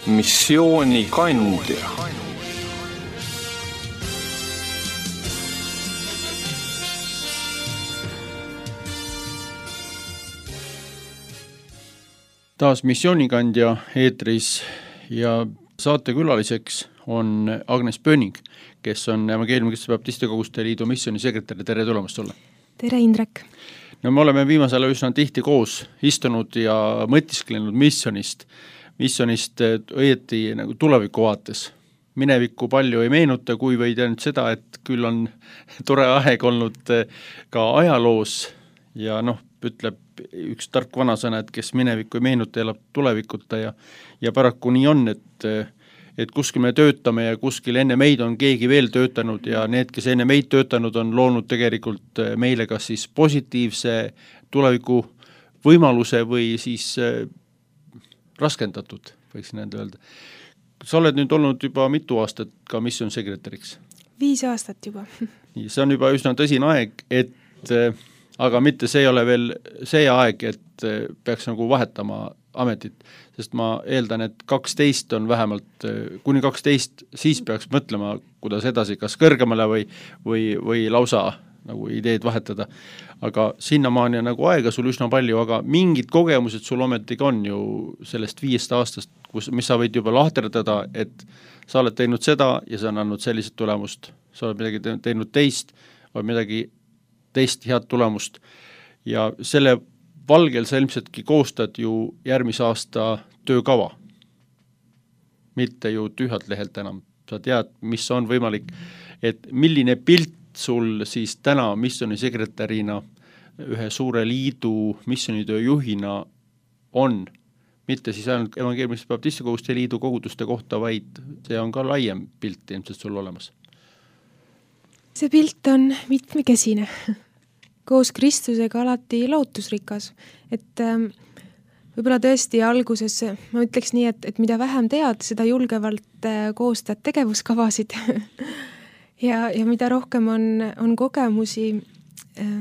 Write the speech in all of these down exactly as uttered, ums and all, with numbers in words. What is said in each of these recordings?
Missioonikandja. Taas missioonikandja eetris ja saatekülaliseks on Agnes Pöning, kes on Evangeeliumi Baptiste Koguste Liidu missioonisekretär. Tere tulemast sulle! Tere, Indrek! No me oleme viimasel ajal üsna tihti koos istunud ja mõtisklenud missionist, missionist õieti nagu tuleviku vaates. Minevikku palju ei meenuta, kui võid ainult seda, et küll on tore aeg olnud ka ajaloos ja noh, ütleb üks tark vanasõna, et kes minevikku ei meenuta, elab tulevikuta ja, ja paraku nii on, et et kuskil me töötame ja kuskil enne meid on keegi veel töötanud ja need, kes enne meid töötanud, on loonud tegelikult meile kas siis positiivse tuleviku võimaluse või siis äh, raskendatud, võiks nende öelda. Sa oled nüüd olnud juba mitu aastat ka missioonsekretäriks? Viis aastat juba. Nii, see on juba üsna tõsine aeg, et äh, aga mitte see ei ole veel see aeg, et äh, peaks nagu vahetama ametit, sest ma eeldan, et kaksteist on vähemalt, kuni kaksteist, siis peaks mõtlema, kuidas edasi, kas kõrgemale või, või, või lausa nagu ideed vahetada. Aga sinnamaani on nagu aega sul üsna palju, aga mingid kogemused sul ometigi on ju sellest viiest aastast, kus, mis sa võid juba lahterdada, et sa oled teinud seda ja sa on andnud sellised tulemust, sa oled midagi teinud teist, või midagi teist head tulemust ja selle valgel sa ilmsetki koostad ju järgmise aasta töökava. Mitte ju tühjalt lehelt enam. Sa tead, mis on võimalik, et milline pilt sul siis täna missioonisekretärina, ühe suure liidu missioonitöö juhina on. Mitte siis ainult Evangeeliumi Baptiste Koguste Liidu koguduste kohta, vaid see on ka laiem pilt ilmselt sul olemas. See pilt on mitmekesine. Koos Kristusega alati lootusrikas, et ähm, võib-olla tõesti alguses, ma ütleks nii, et, et mida vähem tead, seda julgevalt äh, koostad tegevuskavasid ja, ja mida rohkem on, on kogemusi äh,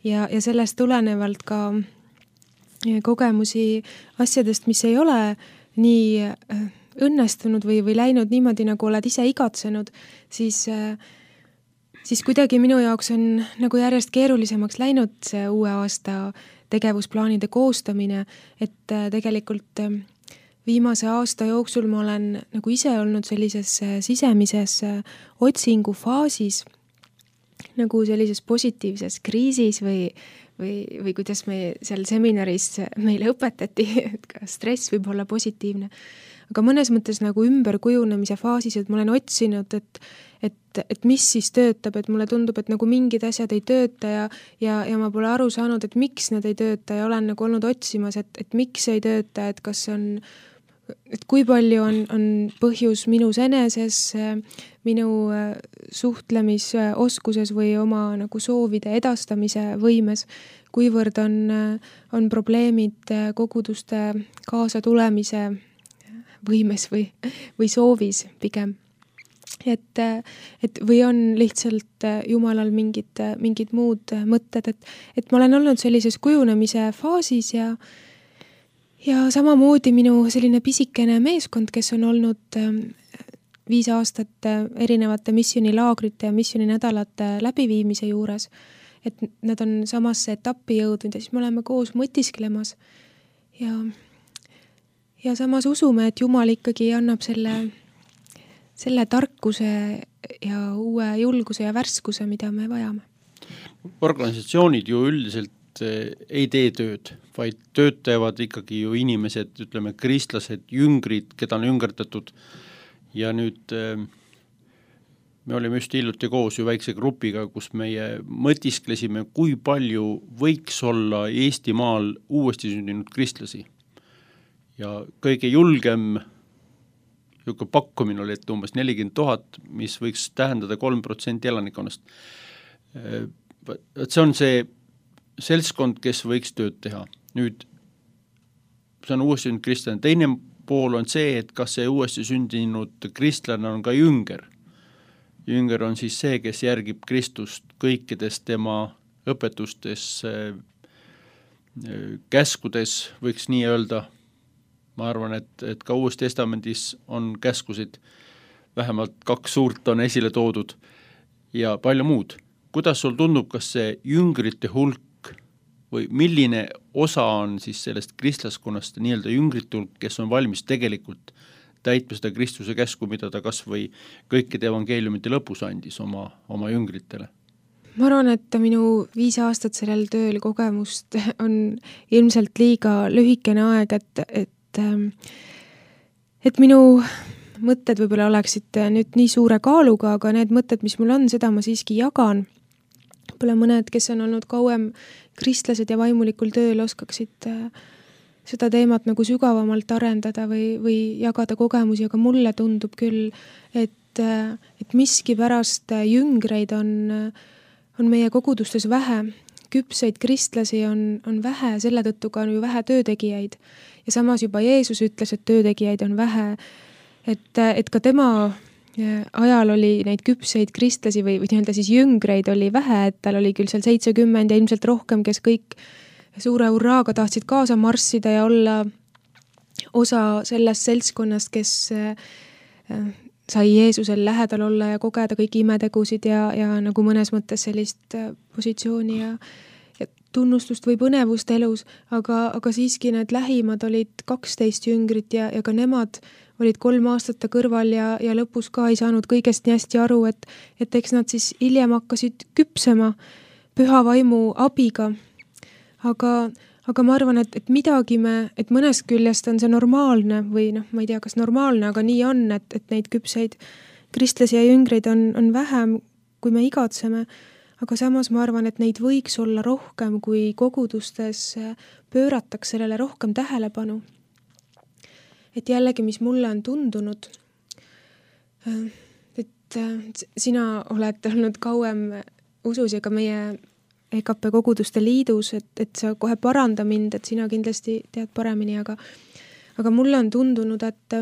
ja, ja sellest tulenevalt ka äh, kogemusi asjadest, mis ei ole nii äh, õnnestunud või, või läinud niimoodi, nagu oled ise igatsenud, siis äh, siis kuidagi minu jaoks on nagu järjest keerulisemaks läinud see uue aasta tegevusplaanide koostamine, et tegelikult viimase aasta jooksul ma olen nagu ise olnud sellises sisemises otsingu faasis, nagu sellises positiivses kriisis või, või, või kuidas me seal seminaris meile õpetati, et ka stress võib olla positiivne. Aga mõnes mõttes nagu ümberkujunemise faasis, et ma olen otsinud, et Et, et mis siis töötab, et mulle tundub, et nagu mingid asjad ei tööta ja, ja, ja ma pole aru saanud, et miks need ei tööta ja olen nagu olnud otsimas, et, et miks ei tööta, et kas on, et kui palju on, on põhjus minus eneses, minu suhtlemisoskuses või oma nagu soovide edastamise võimes, kuivõrd on, on probleemid koguduste kaasa tulemise võimes või, või soovis pigem. Et, et või on lihtsalt Jumalal mingid, mingid muud mõtted, et, et ma olen olnud sellises kujunemise faasis ja, ja samamoodi minu selline pisikene meeskond, kes on olnud viis aastat erinevate missionilaagrite ja missioninädalate läbiviimise juures, et nad on samasse etappi jõudnud ja siis me oleme koos mõtisklemas ja, ja samas usume, et Jumal ikkagi annab selle selle tarkuse ja uue julguse ja värskuse, mida me vajame. Organisatsioonid ju üldiselt ei tee tööd, vaid töötavad ikkagi ju inimesed, ütleme kristlased, jüngrid, keda on jüngerdatud ja nüüd me olime just hiljuti koos ju väikse grupiga, kus meie mõtisklesime, kui palju võiks olla Eestimaal uuesti sündinud kristlasi ja kõige julgem Juka pakkumine oli, et umbes nelikümmend tuhat, mis võiks tähendada kolm protsenti elanikonnast. See on see seltskond, kes võiks tööd teha. Nüüd, see on uuesti sündinud kristlane. Teine pool on see, et kas see uuesti sündinud kristlane on ka jünger. Jünger on siis see, kes järgib Kristust kõikides tema õpetustes, käskudes, võiks nii öelda, ma arvan, et, et ka Uues Testamendis on käskusid, vähemalt kaks suurt on esile toodud ja palju muud. Kuidas sul tundub, kas see jüngrite hulk või milline osa on siis sellest kristlaskonnast nii-öelda jüngrite hulk, kes on valmis tegelikult täitma seda Kristuse käsku, mida ta kas või kõikide evangeeliumite lõpus andis oma, oma jüngritele? Ma arvan, et minu viis aastat sellel tööl kogemust on ilmselt liiga lühikene aeg, et, et, et minu mõtted võib-olla oleksid nüüd nii suure kaaluga, aga need mõtted, mis mul on, seda ma siiski jagan. Võib-olla mõned, kes on olnud kauem kristlased ja vaimulikul tööl, oskaksid seda teemat nagu sügavamalt arendada või, või jagada kogemusi, aga mulle tundub küll, et, et miski pärast jüngreid on, on meie kogudustes vähe. Küpseid kristlasi on, on vähe, selle tõttu ka on ju vähe töötegijaid. Ja samas juba Jeesus ütles, et töötegijaid on vähe, et, et ka tema ajal oli neid küpseid kristlasi või, või nii-öelda siis jüngreid oli vähe, et tal oli küll seal seitsekümmend ja ilmselt rohkem, kes kõik suure hurraaga tahtsid kaasa marssida ja olla osa sellest seltskonnast, kes sai Jeesusel lähedal olla ja kogeda kõiki imetegusid ja, ja nagu mõnes mõttes sellist positsiooni ja, ja tunnustust või põnevust elus, aga, aga siiski need lähimad olid kaksteist jüngrit ja, ja ka nemad olid kolm aastat kõrval ja, ja lõpus ka ei saanud kõigest nii hästi aru, et, et eks nad siis hiljem hakkasid küpsema püha vaimu abiga. Aga, aga ma arvan, et, et midagi me, et mõnest küljest on see normaalne või noh, ma ei tea, kas normaalne, aga nii on, et, et neid küpseid kristlasi ja jüngreid on, on vähem, kui me igatseme. Aga samas ma arvan, et neid võiks olla rohkem, kui kogudustes pöörataks sellele rohkem tähelepanu. Et jällegi, mis mulle on tundunud, et sina oled olnud kauem usus ja ka meie E K P koguduste liidus, et, et sa kohe paranda mind, et sina kindlasti tead paremini, aga, aga mulle on tundunud, et,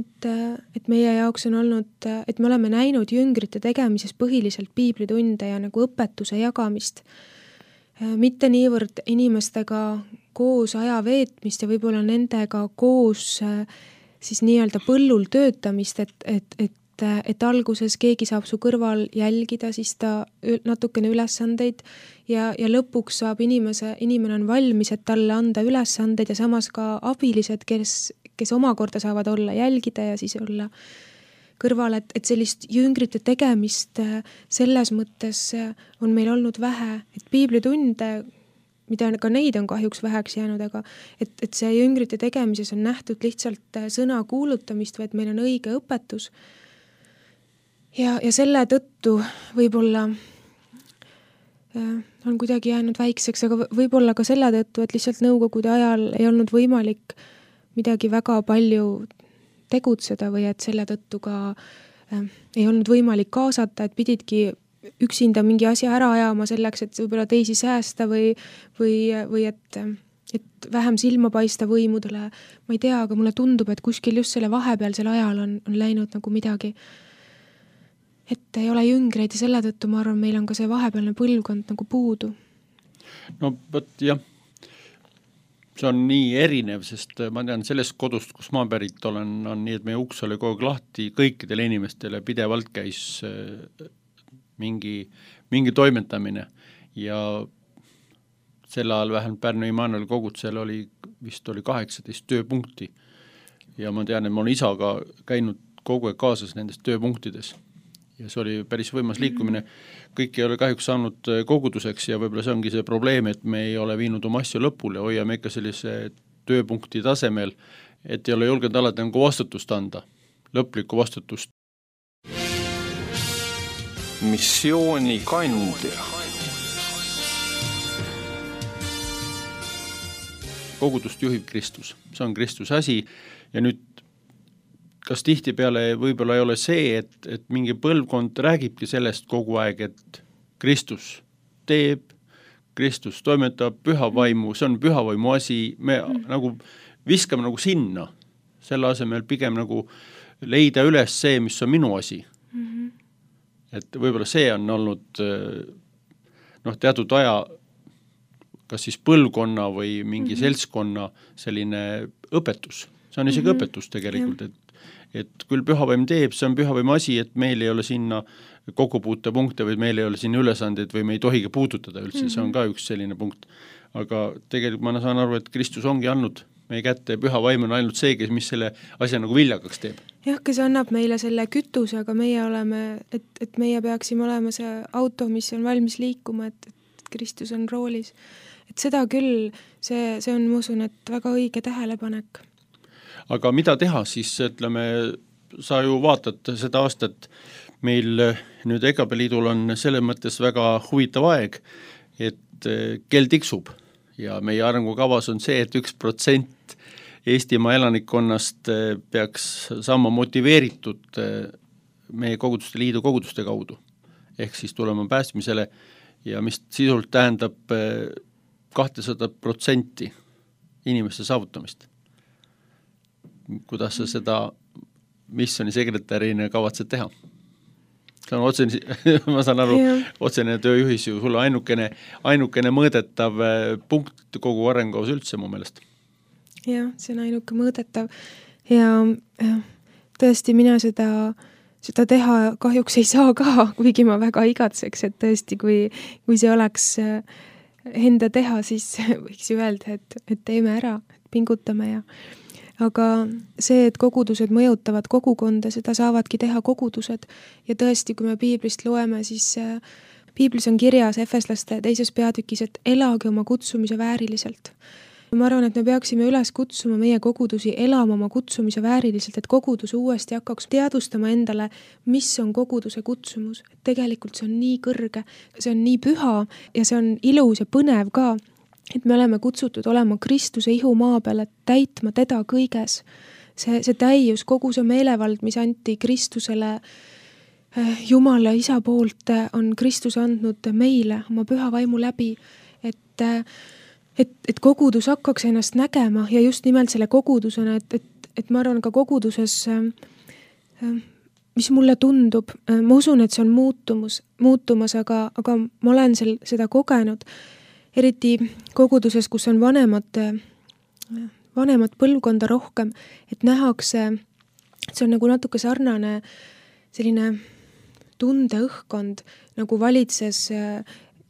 et, et meie jaoks on olnud, et me oleme näinud jüngrite tegemises põhiliselt piiblitunde ja nagu õpetuse jagamist. Mitte niivõrd inimestega koos aja veetmist ja võib-olla nendega koos siis nii-öelda põllul töötamist, et, et, et et alguses keegi saab su kõrval jälgida, siis ta natukene ülesandeid ja, ja lõpuks saab inimese, inimene on valmis, et talle anda ülesandeid ja samas ka abilised, kes, kes omakorda saavad olla jälgida ja siis olla kõrval, et, et sellist jüngrite tegemist selles mõttes on meil olnud vähe, et piiblitunde, mida ka neid on kahjuks väheks jäänud, aga et, et see jüngrite tegemises on nähtud lihtsalt sõna kuulutamist või et meil on õige õpetus. Ja, ja selle tõttu võib-olla on kuidagi jäänud väikseks, aga võib-olla ka selle tõttu, et lihtsalt nõukogude ajal ei olnud võimalik midagi väga palju tegutseda või et selle tõttu ka äh, ei olnud võimalik kaasata, et pididki üksinda mingi asja ära ajama selleks, et võib-olla teisi säästa või, või, või et, et vähem silma paista võimudele. Ma ei tea, aga mulle tundub, et kuskil just selle vahepealsel ajal on, on läinud nagu midagi, et ei ole jüngreid ja selle tõttu ma arvan, meil on ka see vahepealne põlvkond nagu puudu. No võt, jah, see on nii erinev, sest ma tean sellest kodust, kus ma pärit olen, on nii, et meie uks oli kogu aeg lahti kõikidele inimestele, pidevalt käis mingi, mingi toimetamine ja sel ajal vähemalt Pärnu Immanueli kogutsel oli, vist oli kaheksateist tööpunkti ja ma tean, et ma olen isaga käinud kogu aeg kaasas nendes tööpunktides. Ja see oli päris võimas liikumine. Kõik ei ole kahjuks saanud koguduseks ja võib-olla see ongi see probleem, et me ei ole viinud oma asju lõpule, hoiame ikka sellise tööpunkti tasemel, et ei ole julgenud alati nagu vastutust anda, lõplikku vastutust. Missiooni kandja. Kogudust juhib Kristus, see on Kristuse asi ja nüüd kas tihtipeale võib-olla ei ole see, et, et mingi põlvkond räägibki sellest kogu aeg, et Kristus teeb, Kristus toimetab püha vaimu, see on püha vaimu asi, me mm. nagu viskame nagu sinna, selle asemel pigem nagu leida üles see, mis on minu asi. Mm-hmm. Et võib-olla see on olnud noh, teatud aja kas siis põlvkonna või mingi Mhm. seltskonna selline õpetus. See on isegi Mhm. õpetus tegelikult, et, et küll pühavaim teeb, see on pühavaim asi, et meil ei ole sinna kokkupuutepunkte või meil ei ole siin ülesandeid või me ei tohigi puudutada üldse, see on ka üks selline punkt. Aga tegelikult ma saan aru, et Kristus ongi andnud meie kätte ja püha vaim on ainult see, kes mis selle asja nagu viljakaks teeb. jah, kes annab meile selle kütuse, aga meie oleme, et, et meie peaksime olema see auto, mis on valmis liikuma, et, et Kristus on roolis. Et seda küll, see, see on, ma usun, et väga õige tähelepanek. Aga mida teha siis, ütleme, sa ju vaatad seda aastat, meil nüüd E K P Liidul on selles mõttes väga huvitav aeg, et kell tiksub ja meie arengukavas on see, et üks protsent Eestimaa elanikkonnast peaks saama motiveeritud meie koguduste liidu koguduste kaudu. Ehk siis tulema päästmisele ja mis sisult tähendab kahtesada protsenti inimeste saavutamist. Kuidas sa seda missioni sekretärina kavatsed teha? See on otsene, ma saan aru, yeah. otsene tööjuhis ju sulle ainukene, ainukene mõõdetav punkt kogu arenguvas üldse mu meelest. Jah, see on ainuke mõõdetav ja, ja tõesti mina seda, seda teha kahjuks ei saa ka, kuigi ma väga igatseks, et tõesti, kui, kui see oleks enda teha, siis võiks ju öelda, et, et teeme ära, et pingutame ja aga see, et kogudused mõjutavad kogukonda, seda saavadki teha kogudused ja tõesti, kui me piiblist loeme, siis piiblis on kirjas Efeslaste teises peatükis, et elage oma kutsumise vääriliselt. Ma arvan, et me peaksime üles kutsuma meie kogudusi elama oma kutsumise vääriliselt, et kogudus uuesti hakkaks teadvustama endale, mis on koguduse kutsumus. Tegelikult see on nii kõrge, see on nii püha ja see on ilus ja põnev ka, et me oleme kutsutud olema Kristuse ihu maa peal, et täitma teda kõiges. See, see täius, kogu see meelevald, mis anti Kristusele Jumala isa poolt, on Kristus andnud meile oma püha vaimu läbi, et Et, et kogudus hakkaks ennast nägema ja just nimelt selle kogudusena, et, et, et ma arvan ka koguduses, mis mulle tundub, ma usun, et see on muutumus, muutumas, aga, aga ma olen sel, seda kogenud, eriti koguduses, kus on vanemad, vanemad põlvkonda rohkem, et nähakse, see on nagu natuke sarnane selline tundeõhkkond, nagu valitses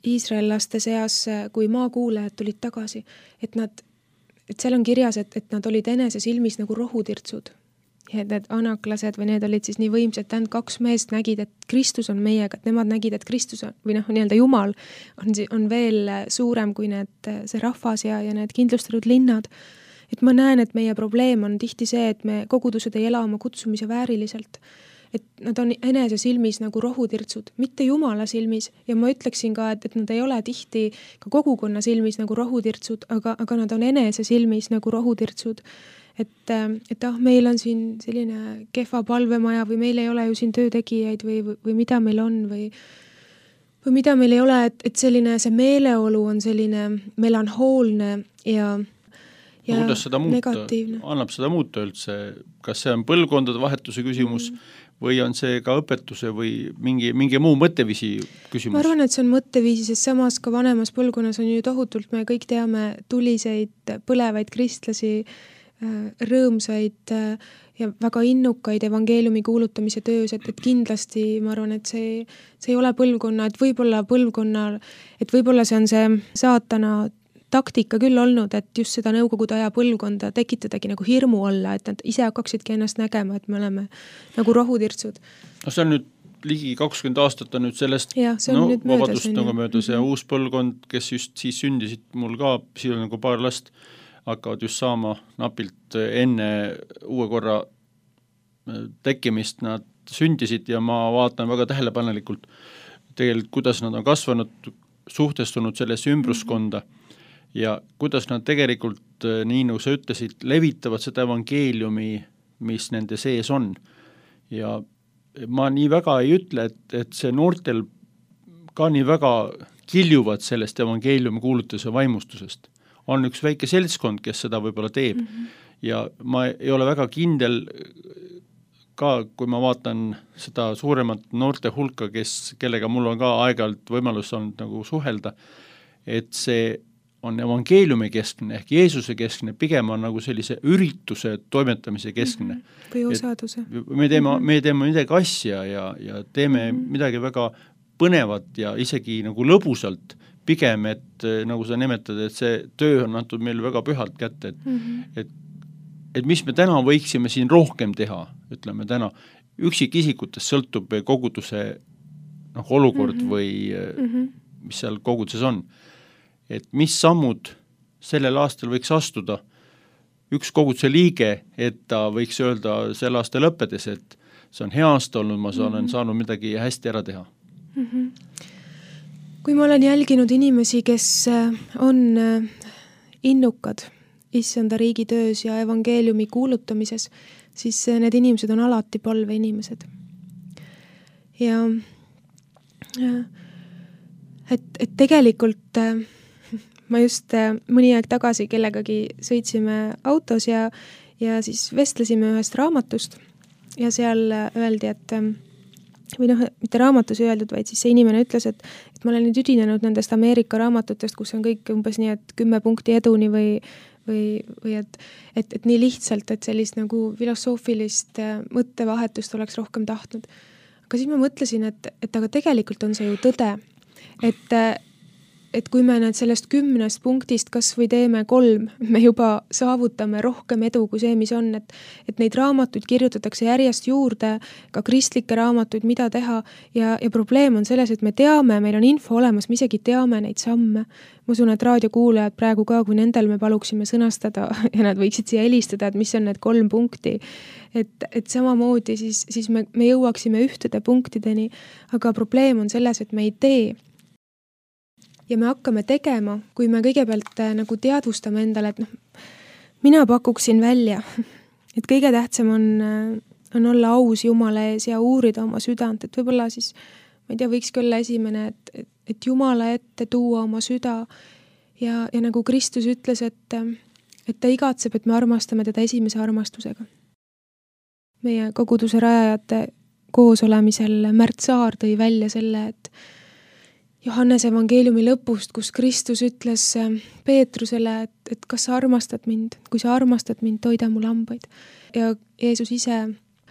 iisraellaste seas, kui maakuulajad tulid tagasi, et nad, et seal on kirjas, et, et nad olid enese silmis nagu rohutirtsud. Ja need anaklased või need olid siis nii võimsad, tähendab kaks meest nägid, et Kristus on meiega, et nemad nägid, et Kristus on, või noh, nii-öelda Jumal on, on veel suurem kui need, see rahvas ja, ja need kindlustatud linnad. Et ma näen, et meie probleem on tihti see, et me kogudused ei ela oma kutsumise vääriliselt. Et nad on enese silmis nagu rohutirtsud, mitte Jumala silmis ja ma ütleksin ka, et, et nad ei ole tihti ka kogukonna silmis nagu rohutirtsud, aga, aga nad on enese silmis nagu rohutirtsud. Et, et ah, meil on siin selline kehva palvemaja või meil ei ole ju siin töötegijaid või, või, või mida meil on või, või mida meil ei ole, et, et selline see meeleolu on selline melanhoolne ja No, kuidas seda muuta, annab seda muuta üldse, kas see on põlvkondade vahetuse küsimus mm. või on see ka õpetuse või mingi, mingi muu mõtteviisi küsimus? Ma arvan, et see on mõtteviisi, sest samas ka vanemas põlvkonnas on ju tohutult, me kõik teame tuliseid, põlevaid kristlasi, rõõmsaid ja väga innukaid evangeeliumi kuulutamise töös, et, et kindlasti ma arvan, et see, see ei ole põlvkonna, et võib-olla põlvkonnal, et võib-olla see on see saatana taktika küll olnud, et just seda nõukogude aja põlvkonda tekitadagi nagu hirmu alla, et nad ise hakkaksidki ennast nägema, et me oleme nagu rohutirtsud. No see on nüüd ligi kakskümmend aastat on nüüd sellest ja, no, nüüd vabadust möödas, nagu möödas mm-hmm. ja uus põlvkond, kes just siis sündisid mul ka, siin on nagu paar last, hakkavad just saama napilt enne uue korra tekkimist, nad sündisid ja ma vaatan väga tähelepanelikult tegelikult, kuidas nad on kasvanud, suhtestunud sellesse ümbruskonda mm-hmm. ja kuidas nad tegelikult, nii nagu sa ütlesid, levitavad seda evangeeliumi, mis nende sees on. Ja ma nii väga ei ütle, et, et see noortel ka nii väga kiljuvad sellest evangeeliumi kuulutuse vaimustusest. On üks väike seltskond, kes seda võib-olla teeb mm-hmm. ja ma ei ole väga kindel ka, kui ma vaatan seda suuremat noorte hulka, kes, kellega mul on ka aeg-ajalt võimalus olnud nagu suhelda, et see on evangeeliumi keskne ehk Jeesuse keskne, pigem on nagu sellise ürituse toimetamise keskne. Mm -hmm. Või osaduse. Me teeme, mm -hmm. me teeme midagi asja ja, ja teeme mm -hmm. midagi väga põnevat ja isegi nagu lõbusalt, pigem, et nagu sa nimetad, et see töö on antud meile väga pühalt kätte, et, mm -hmm. et, et mis me täna võiksime siin rohkem teha, ütleme täna, üksikisikutest sõltub koguduse noh, olukord mm -hmm. või mm -hmm. mis seal koguduses on. Et mis sammud sellel aastal võiks astuda üks koguduse liige, et ta võiks öelda selle aasta lõppedes, et see on hea aasta olnud, ma olen mm -hmm. saanud midagi hästi ära teha. Mm -hmm. Kui ma olen jälginud inimesi, kes on innukad issanda riigi töös ja evangeeliumi kuulutamises, siis need inimesed on alati palveinimesed. Ja, ja et, et tegelikult ma just mõni aeg tagasi kellegagi sõitsime autos ja, ja siis vestlesime ühest raamatust ja seal öeldi, et või noh, mitte raamatus öeldud, vaid siis see inimene ütles, et, et ma olen nüüd üdinenud nendest Ameerika raamatutest, kus on kõik umbes nii, et kümme punkti eduni või, või, või et, et, et nii lihtsalt, et sellist nagu filosoofilist mõttevahetust oleks rohkem tahtnud. Aga siis ma mõtlesin, et, et aga tegelikult on see ju tõde, et et kui me need sellest kümnest punktist kas või teeme kolm, me juba saavutame rohkem edu kui see, mis on, et, et neid raamatuid kirjutatakse järjest juurde, ka kristlikke raamatuid, mida teha ja, ja probleem on selles, et me teame, meil on info olemas, me isegi teame neid samme. Ma usun, et raadiokuulajad praegu ka, kui nendel me paluksime sõnastada ja nad võiksid siia helistada, et mis on need kolm punkti, et, et samamoodi siis, siis me, me jõuaksime ühtede punktideni, aga probleem on selles, et me ei tee. Ja me hakkame tegema, kui me kõigepealt nagu teadvustame endale, et noh, mina pakuksin välja, et kõige tähtsam on, on olla aus Jumala ees ja uurida oma südant, et võib-olla siis, ma ei tea, võikski olla esimene, et, et, et Jumala ette tuua oma süda ja, ja nagu Kristus ütles, et, et ta igatseb, et me armastame teda esimese armastusega. Meie koguduse rajajate koosolemisel Märt Saar tõi välja selle, et Johannese evangeeliumi lõpust, kus Kristus ütles Peetrusele, et, et kas sa armastad mind, kui sa armastad mind, toida mu lambaid. Ja Jeesus ise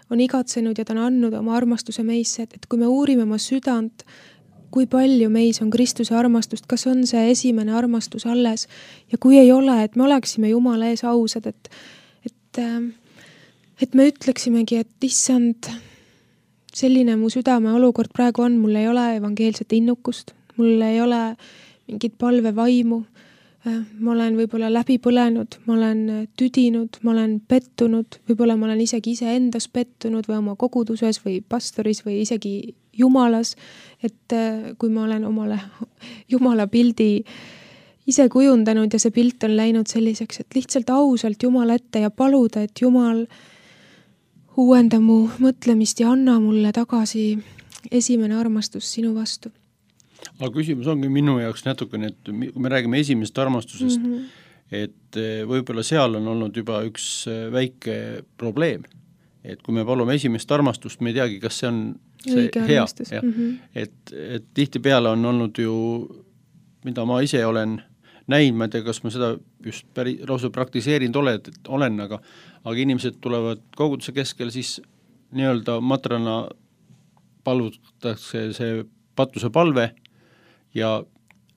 on igatsenud ja ta on andnud oma armastuse meisse, et, et kui me uurime oma südant, kui palju meis on Kristuse armastust, kas on see esimene armastus alles ja kui ei ole, et me oleksime Jumala ees ausad, et, et, et me ütleksimegi, et issand, selline mu südame olukord praegu on, mul ei ole evangeelset innukust, mul ei ole mingit palvevaimu, ma olen võib-olla läbi põlenud, ma olen tüdinud, ma olen pettunud, võib-olla ma olen isegi ise endas pettunud või oma koguduses või pastoris või isegi Jumalas, et kui ma olen omale Jumala pildi ise kujundanud ja see pilt on läinud selliseks, et lihtsalt ausalt Jumala ette ja paluda, et Jumal uuenda mu mõtlemist ja anna mulle tagasi esimene armastus sinu vastu. Aga küsimus ongi minu jaoks natukene, et kui me räägime esimesest armastusest, mm -hmm. et võib-olla seal on olnud juba üks väike probleem. Et kui me palume esimest armastust, me ei teagi, kas see on see õige hea. Ja, mm -hmm. et, et tihti peale on olnud ju, mida ma ise olen näinud, ma ei tea, kas ma seda just päri, lausa praktiseerinud oled, olen, aga, aga inimesed tulevad koguduse keskel, siis nii-öelda matrana palutakse see patuse palve ja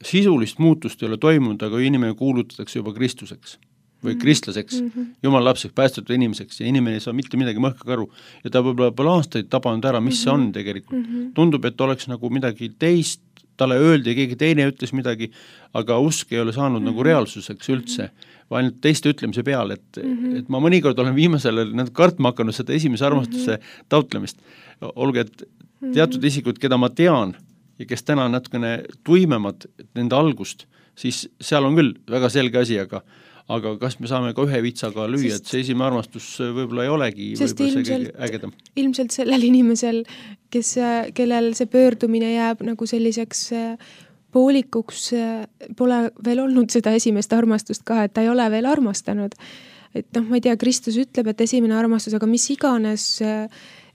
sisulist muutust ei ole toimunud, aga inimene kuulutatakse juba Kristuseks või kristlaseks, mm -hmm. Jumala lapseks, päästetud inimeseks ja inimene ei saa mitte midagi mõhka aru ja ta võib-olla pole aastaid tabanud ära, mis mm -hmm. see on tegelikult. Mm -hmm. Tundub, et oleks nagu midagi teist, talle öeldi ja keegi teine ütles midagi, aga usk ei ole saanud mm -hmm. nagu reaalsuseks üldse, või ainult teiste ütlemise peale, et, mm -hmm. et ma mõnikord olen viimasel ajal kartma hakanud seda esimese armastuse mm -hmm. taotlemist. Olge, et teatud isikud, keda ma tean ja kes täna on natukene tuimemad nende algust, siis seal on küll väga selge asi, aga aga kas me saame ka ühe vitsaga lüüa, et see esimene armastus võib-olla ei olegi võib-olla see kõige ägedam. Ilmselt sellel inimesel, kes, kellel see pöördumine jääb nagu selliseks poolikuks, pole veel olnud seda esimest armastust ka, et ta ei ole veel armastanud. Et noh, ma ei tea, Kristus ütleb, et esimene armastus, aga mis iganes,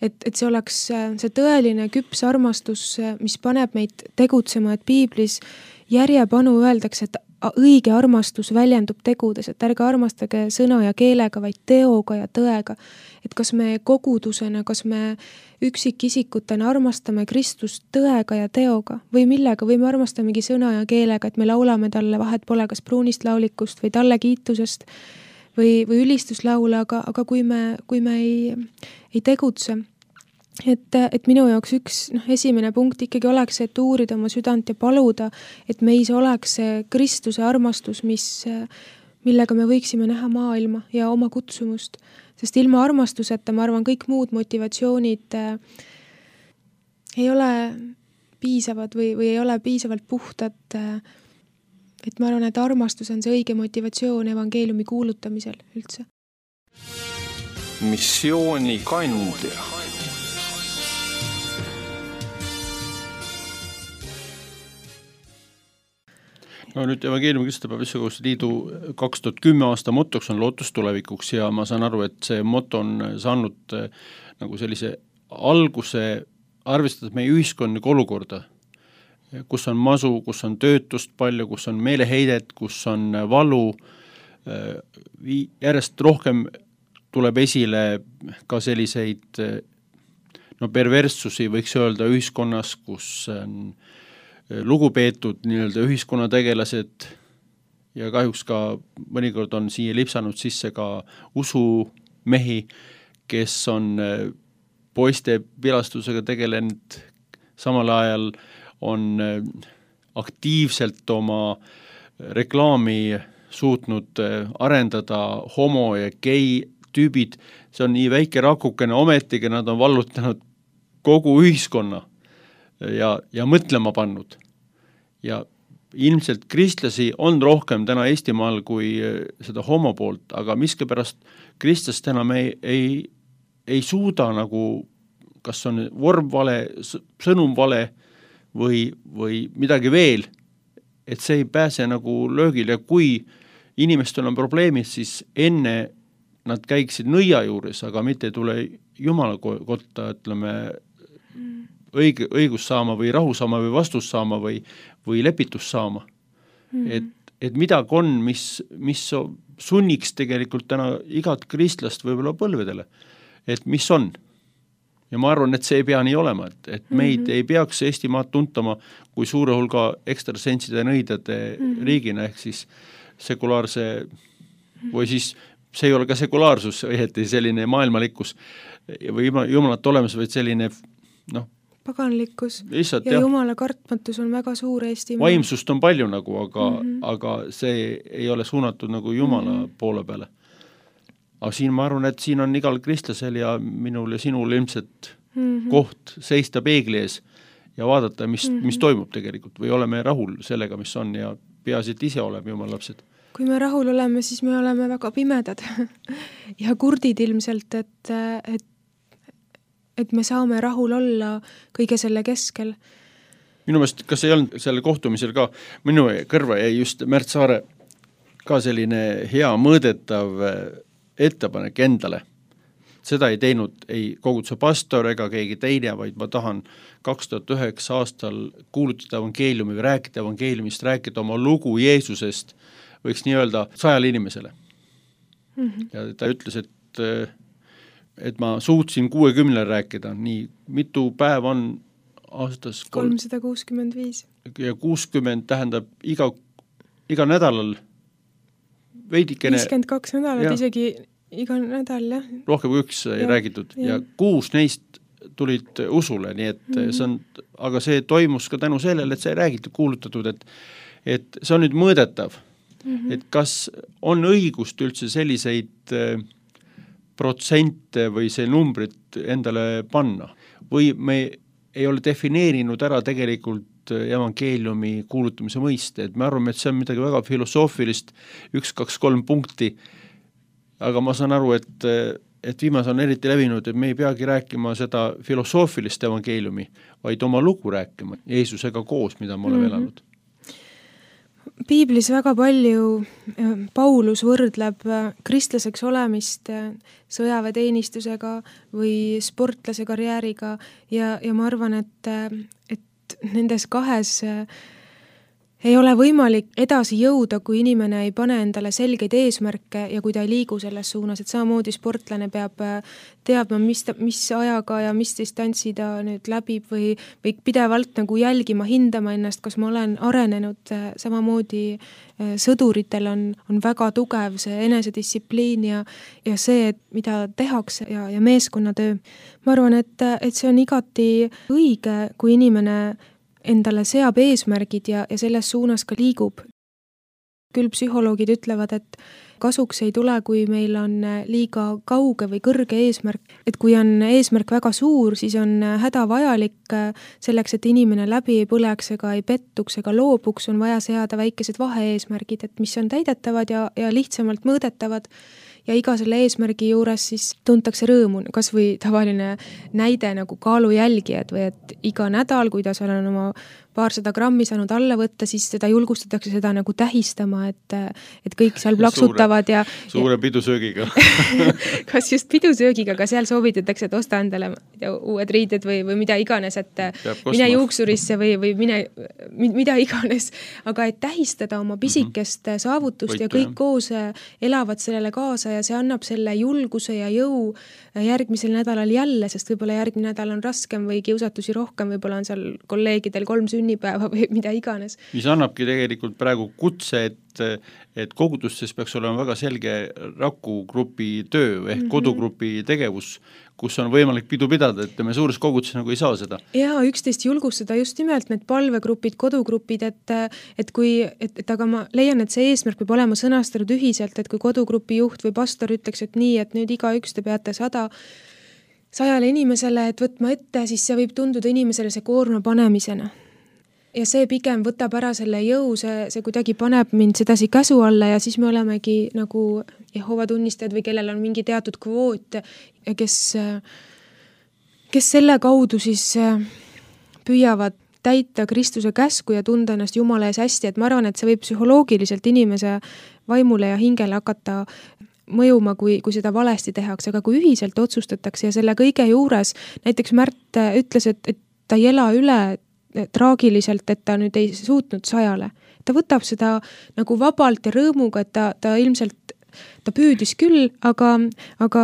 et, et see oleks see tõeline küps armastus, mis paneb meid tegutsema, et piiblis järjepanu öeldakse, et õige armastus väljendub tegudes, et ärge armastage sõna ja keelega, vaid teoga ja tõega. Et kas me kogudusena, kas me üksikisikutena armastame Kristust tõega ja teoga või millega, või me armastamegi sõna ja keelega, et me laulame talle, vahet pole kas pruunist laulikust või talle kiitusest või, või ülistuslaule, aga, aga kui me, kui me ei, ei tegutse, et, et minu jaoks üks noh, esimene punkt ikkagi oleks, et uurida oma südant ja paluda, et meis oleks see Kristuse armastus, mis, millega me võiksime näha maailma ja oma kutsumust. Sest ilma armastuseta, ma arvan, kõik muud motivatsioonid äh, ei ole piisavad või, või ei ole piisavalt puhtad. Äh, et ma arvan, et armastus on see õige motivatsioon evangeeliumi kuulutamisel üldse. Missiooni kandja. No nüüd evangeeliumi Kristlapäeva Issakoguse Liidu kaks tuhat kümme aasta motoks on lootus tulevikuks ja ma saan aru, et see moto on saanud nagu sellise alguse, arvestades meie ühiskondlikku olukorda, kus on masu, kus on töötust palju, kus on meeleheidet, kus on valu, järjest rohkem tuleb esile ka selliseid no, perverssusi, võiks öelda ühiskonnas, kus on lugupeetud nii-öelda ühiskonnategelased ja kahjuks ka mõnikord on siia lipsanud sisse ka usumehi, kes on poiste pilastusega tegelenud, samal ajal on aktiivselt oma reklaami suutnud arendada homo ja gei tüübid, see on nii väike rakukene, ometigi nad on vallutanud kogu ühiskonna ja, ja mõtlema pannud. Ja ilmselt kristlasi on rohkem täna Eestimaal kui seda homo poolt, aga miskipärast kristlast enam ei, ei, ei suuda nagu, kas on vorm vale, sõnum vale või, või midagi veel, et see ei pääse nagu löögil ja kui inimestel on probleemid, siis enne nad käiksid nõia juures, aga mitte ei tule Jumala kotta, ütleme, õige, õigus saama või rahu saama või vastus saama või, või lepitus saama. Mm-hmm. Et, et midagi on, mis, mis sunniks tegelikult täna igat kristlast võib-olla põlvedele, et mis on. Ja ma arvan, et see ei pea nii olema, et, et meid mm-hmm. ei peaks Eestimaad tuntama kui suure hulga ekstrasentside nõidade mm-hmm. riigina, ehk siis sekulaarse või siis see ei ole ka sekulaarsus, õieti selline maailmalikkus või jumalat olemas, vaid selline noh, paganlikkus lihtsalt, ja jumala kartmatus on väga suur Eesti. Vaimsust on palju nagu, aga, mm-hmm. aga see ei ole suunatud nagu jumala mm-hmm. poole peale. Aga siin ma arvan, et siin on igal kristlasel ja minul ja sinul ilmselt mm-hmm. koht seista peegli ees ja vaadata, mis, mm-hmm. mis toimub tegelikult või oleme rahul sellega, mis on ja peaasi, et ise oleme jumala lapsed. Kui me rahul oleme, siis me oleme väga pimedad ja kurdid ilmselt, et, et et me saame rahul olla kõige selle keskel. Minu meelest, kas ei olnud selle kohtumisel ka, minu kõrva jäi just Märt Saare ka selline hea mõõdetav ettepanek endale. Seda ei teinud ei koguduse pastor ega keegi teine, vaid ma tahan kaks tuhat üheksa aastal kuulutada evangeeliumi või rääkida evangeeliumist, rääkida oma lugu Jeesusest, võiks nii öelda sajale inimesele. Mm-hmm. Ja ta ütles, et et ma suutsin kuuekümnele rääkida, nii mitu päev on aastas kolmsada kuuskümmend viis ja kuuskümmend tähendab iga, iga nädalal veidikene viiskümmend kaks nädalat, ja, isegi iga nädal, jah. Rohkem kui üks ei ja, räägitud ja. ja kuus neist tulid usule, nii et mm-hmm. see on, aga see toimus ka tänu sellele, et see ei räägitud, kuulutatud, et, et see on nüüd mõõdetav, mm-hmm. et kas on õigust üldse selliseid protsente või see numbrit endale panna või me ei ole defineerinud ära tegelikult evangeeliumi kuulutamise mõiste, et me arvame, et see on midagi väga filosoofilist, üks, kaks, kolm punkti, aga ma saan aru, et, et viimas on eriti levinud, et me ei peagi rääkima seda filosoofilist evangeeliumi, vaid oma lugu rääkima Jeesusega koos, mida me oleme mm-hmm. elanud. Piiblis väga palju Paulus võrdleb kristlaseks olemist sõjaväeteenistusega või sportlase karjääriga ja, ja ma arvan, et, et nendes kahes ei ole võimalik edasi jõuda, kui inimene ei pane endale selgeid eesmärke ja kui ta ei liigu selles suunas, et samamoodi sportlane peab teadma, mis, ta, mis ajaga ja mis distantsi ta nüüd läbib või, või pidevalt nagu jälgima, hindama ennast, kas ma olen arenenud, samamoodi sõduritel on, on väga tugev see enesedistsipliin ja, ja see, et mida tehakse ja, ja meeskonnatöö. Ma arvan, et, et see on igati õige, kui inimene endale seab eesmärgid ja, ja selles suunas ka liigub. Küll psühholoogid ütlevad, et kasuks ei tule, kui meil on liiga kauge või kõrge eesmärk. Et kui on eesmärk väga suur, siis on hädavajalik selleks, et inimene läbi ei põleks ega ei pettuks ega loobuks, on vaja seada väikesed vahe-eesmärgid, et mis on täidetavad ja, ja lihtsamalt mõõdetavad. Ja iga selle eesmärgi juures siis tuntakse rõõmu, kas või tavaline näide nagu kaalujälgijad või et iga nädal, kui ta seal on oma paarsada grammi saanud alla võtta, siis seda julgustatakse seda nagu tähistama, et, et kõik seal plaksutavad ja suure pidusöögiga. Kas just pidusöögiga, aga seal soovitatakse, et osta endale uued riided või, või mida iganes, et mine juuksurisse või, või mine, mida iganes, aga et tähistada oma pisikest mm-hmm. saavutust Võitu, ja kõik jah. Koos elavad sellele kaasa ja see annab selle julguse ja jõu järgmisel nädalal jälle, sest võib-olla järgmine nädal on raskem või kiusatusi rohkem, võib-olla on seal kolleegidel kolm sünnipäeva või mida iganes. Mis annabki tegelikult praegu kutse, et, et kogudustes peaks olema väga selge rakugrupi töö ehk mm-hmm. kodugrupi tegevus, kus on võimalik pidu pidada, et me suures koguduses nagu ei saa seda. Jaa, üksteist julgustada just nimelt need palvegrupid, kodugrupid, et, et kui, et, et aga ma leian, et see eesmärk peab olema sõnastatud ühiselt, et kui kodugrupi juht või pastor ütleks, et nii, et nüüd iga üks te peate sada sajale inimesele, et võtma ette, siis see võib tunduda inimesele see koorma panemisena. Ja see pigem võtab ära selle jõu, see, see kuidagi paneb mind sedasi käsu alla ja siis me olemegi nagu Jehova tunnistajad või kellel on mingi teatud kvoot, kes, kes selle kaudu siis püüavad täita Kristuse käsku ja tunda ennast Jumala ees hästi, et ma arvan, et see võib psühholoogiliselt inimese vaimule ja hingele hakata mõjuma, kui, kui seda valesti tehakse, aga kui ühiselt otsustatakse ja selle kõige juures, näiteks Märt ütles, et, et ta ei ela üle traagiliselt, et ta nüüd ei suutnud sajale. Ta võtab seda nagu vabalt ja rõõmuga, et ta, ta ilmselt, ta püüdis küll, aga, aga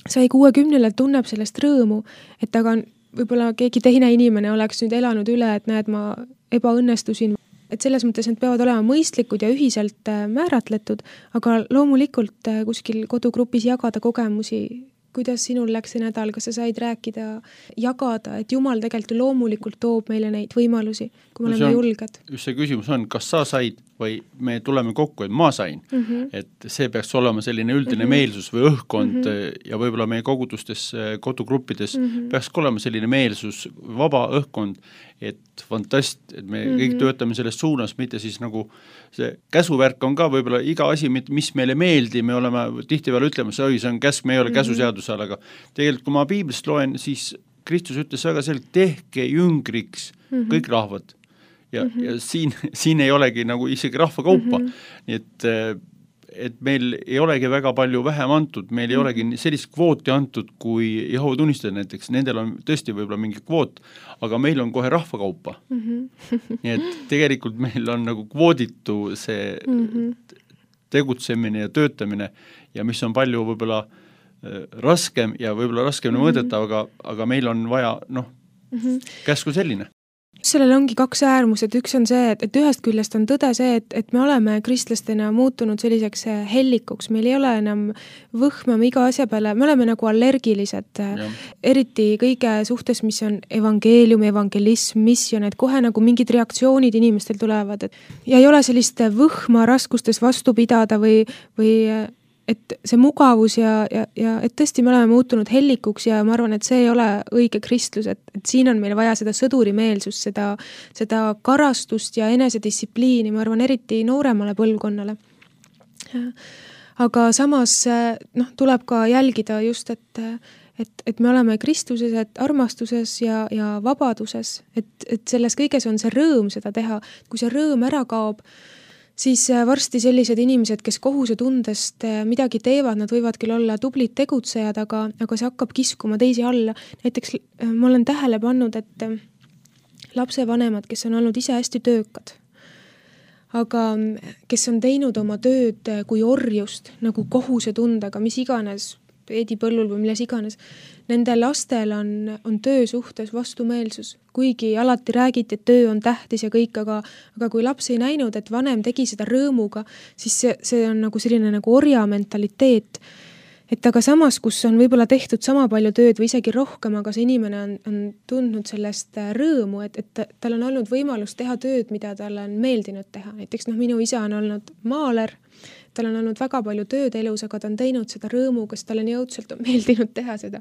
sai kuuekümnele tunneb sellest rõõmu, et aga võib-olla keegi teine inimene oleks nüüd elanud üle, et näed, ma ebaõnnestusin. Et selles mõttes need peavad olema mõistlikud ja ühiselt määratletud, aga loomulikult kuskil kodugrupis jagada kogemusi, kuidas sinul läks see nädal, kas sa said rääkida, jagada, et Jumal tegelikult loomulikult toob meile neid võimalusi, kui me oleme julged. Just see küsimus on, kas sa said või me tuleme kokku, et ma sain. Mm-hmm. Et see peaks olema selline üldine mm-hmm. meelsus või õhkkond mm-hmm. ja võib-olla meie kogudustes, kodugruppides mm-hmm. peaks olema selline meelsus, vaba õhkkond, et fantast, et me mm-hmm. kõik töötame selles suunas, mitte siis nagu see käsuvärk on ka võib-olla iga asi, mis meile meeldi, me oleme tihtipeale ütlema, see, oi, see on käsk, me ei ole mm-hmm. käsuseaduse all, aga tegelikult kui ma piiblist loen, siis Kristus ütles väga selgelt, tehke jüngriks mm-hmm. kõik rahvad. Ja, mm-hmm. ja siin, siin ei olegi nagu isegi rahvakaupa, mm-hmm. nii et, et meil ei olegi väga palju vähem antud, meil ei mm-hmm. olegi sellist kvooti antud, kui Jehova tunnistajad näiteks, nendel on tõesti võib-olla mingi kvoot, aga meil on kohe rahvakaupa. Mm-hmm. nii et tegelikult meil on nagu kvooditu see mm-hmm. tegutsemine ja töötamine ja mis on palju võib-olla raskem ja võib-olla raskem mm-hmm. mõõdetav, aga, aga meil on vaja, noh, mm-hmm. käsku selline. Sellel ongi kaks äärmused, üks on see, et, et ühest küljest on tõde see, et, et me oleme kristlastena muutunud selliseks hellikuks, meil ei ole enam võhmam iga asja peale, me oleme nagu allergilised, ja. Eriti kõige suhtes, mis on evangeelium, evangelism, misjon, et kohe nagu mingid reaktsioonid inimestel tulevad, et ja ei ole sellist võhma raskustes vastu pidada või, või et see mugavus ja, ja, ja et tõesti me oleme muutunud hellikuks ja ma arvan, et see ei ole õige kristlus, et, et siin on meil vaja seda sõdurimeelsust, seda, seda karastust ja enesedistsipliini, ma arvan, eriti nooremale põlvkonnale. Aga samas noh, tuleb ka jälgida just, et, et, et me oleme Kristuses, et armastuses ja, ja vabaduses, et, et selles kõiges on see rõõm seda teha, kui see rõõm ära kaob, siis varsti sellised inimesed, kes kohusetundest midagi teevad, nad võivad küll olla tublid tegutsejad, aga, aga see hakkab kiskuma teisi alla. Näiteks ma olen tähele pannud, et lapsevanemad, kes on olnud ise hästi töökad, aga kes on teinud oma tööd kui orjust, nagu kohusetundega, mis iganes, peedipõllul või milles iganes, nende lastel on, on töö suhtes vastumeelsus, kuigi alati räägiti, et töö on tähtis ja kõik, aga, aga kui laps ei näinud, et vanem tegi seda rõõmuga, siis see, see on nagu selline nagu orja mentaliteet. Et aga samas, kus on võib-olla tehtud sama palju tööd või isegi rohkem, aga see inimene on, on tundnud sellest rõõmu, et, et tal on olnud võimalus teha tööd, mida talle on meeldinud teha. Näiteks noh, minu isa on olnud maaler, tal on olnud väga palju tööd elus, aga ta on teinud seda rõõmuga, sest tal on jõudselt on meeldinud teha seda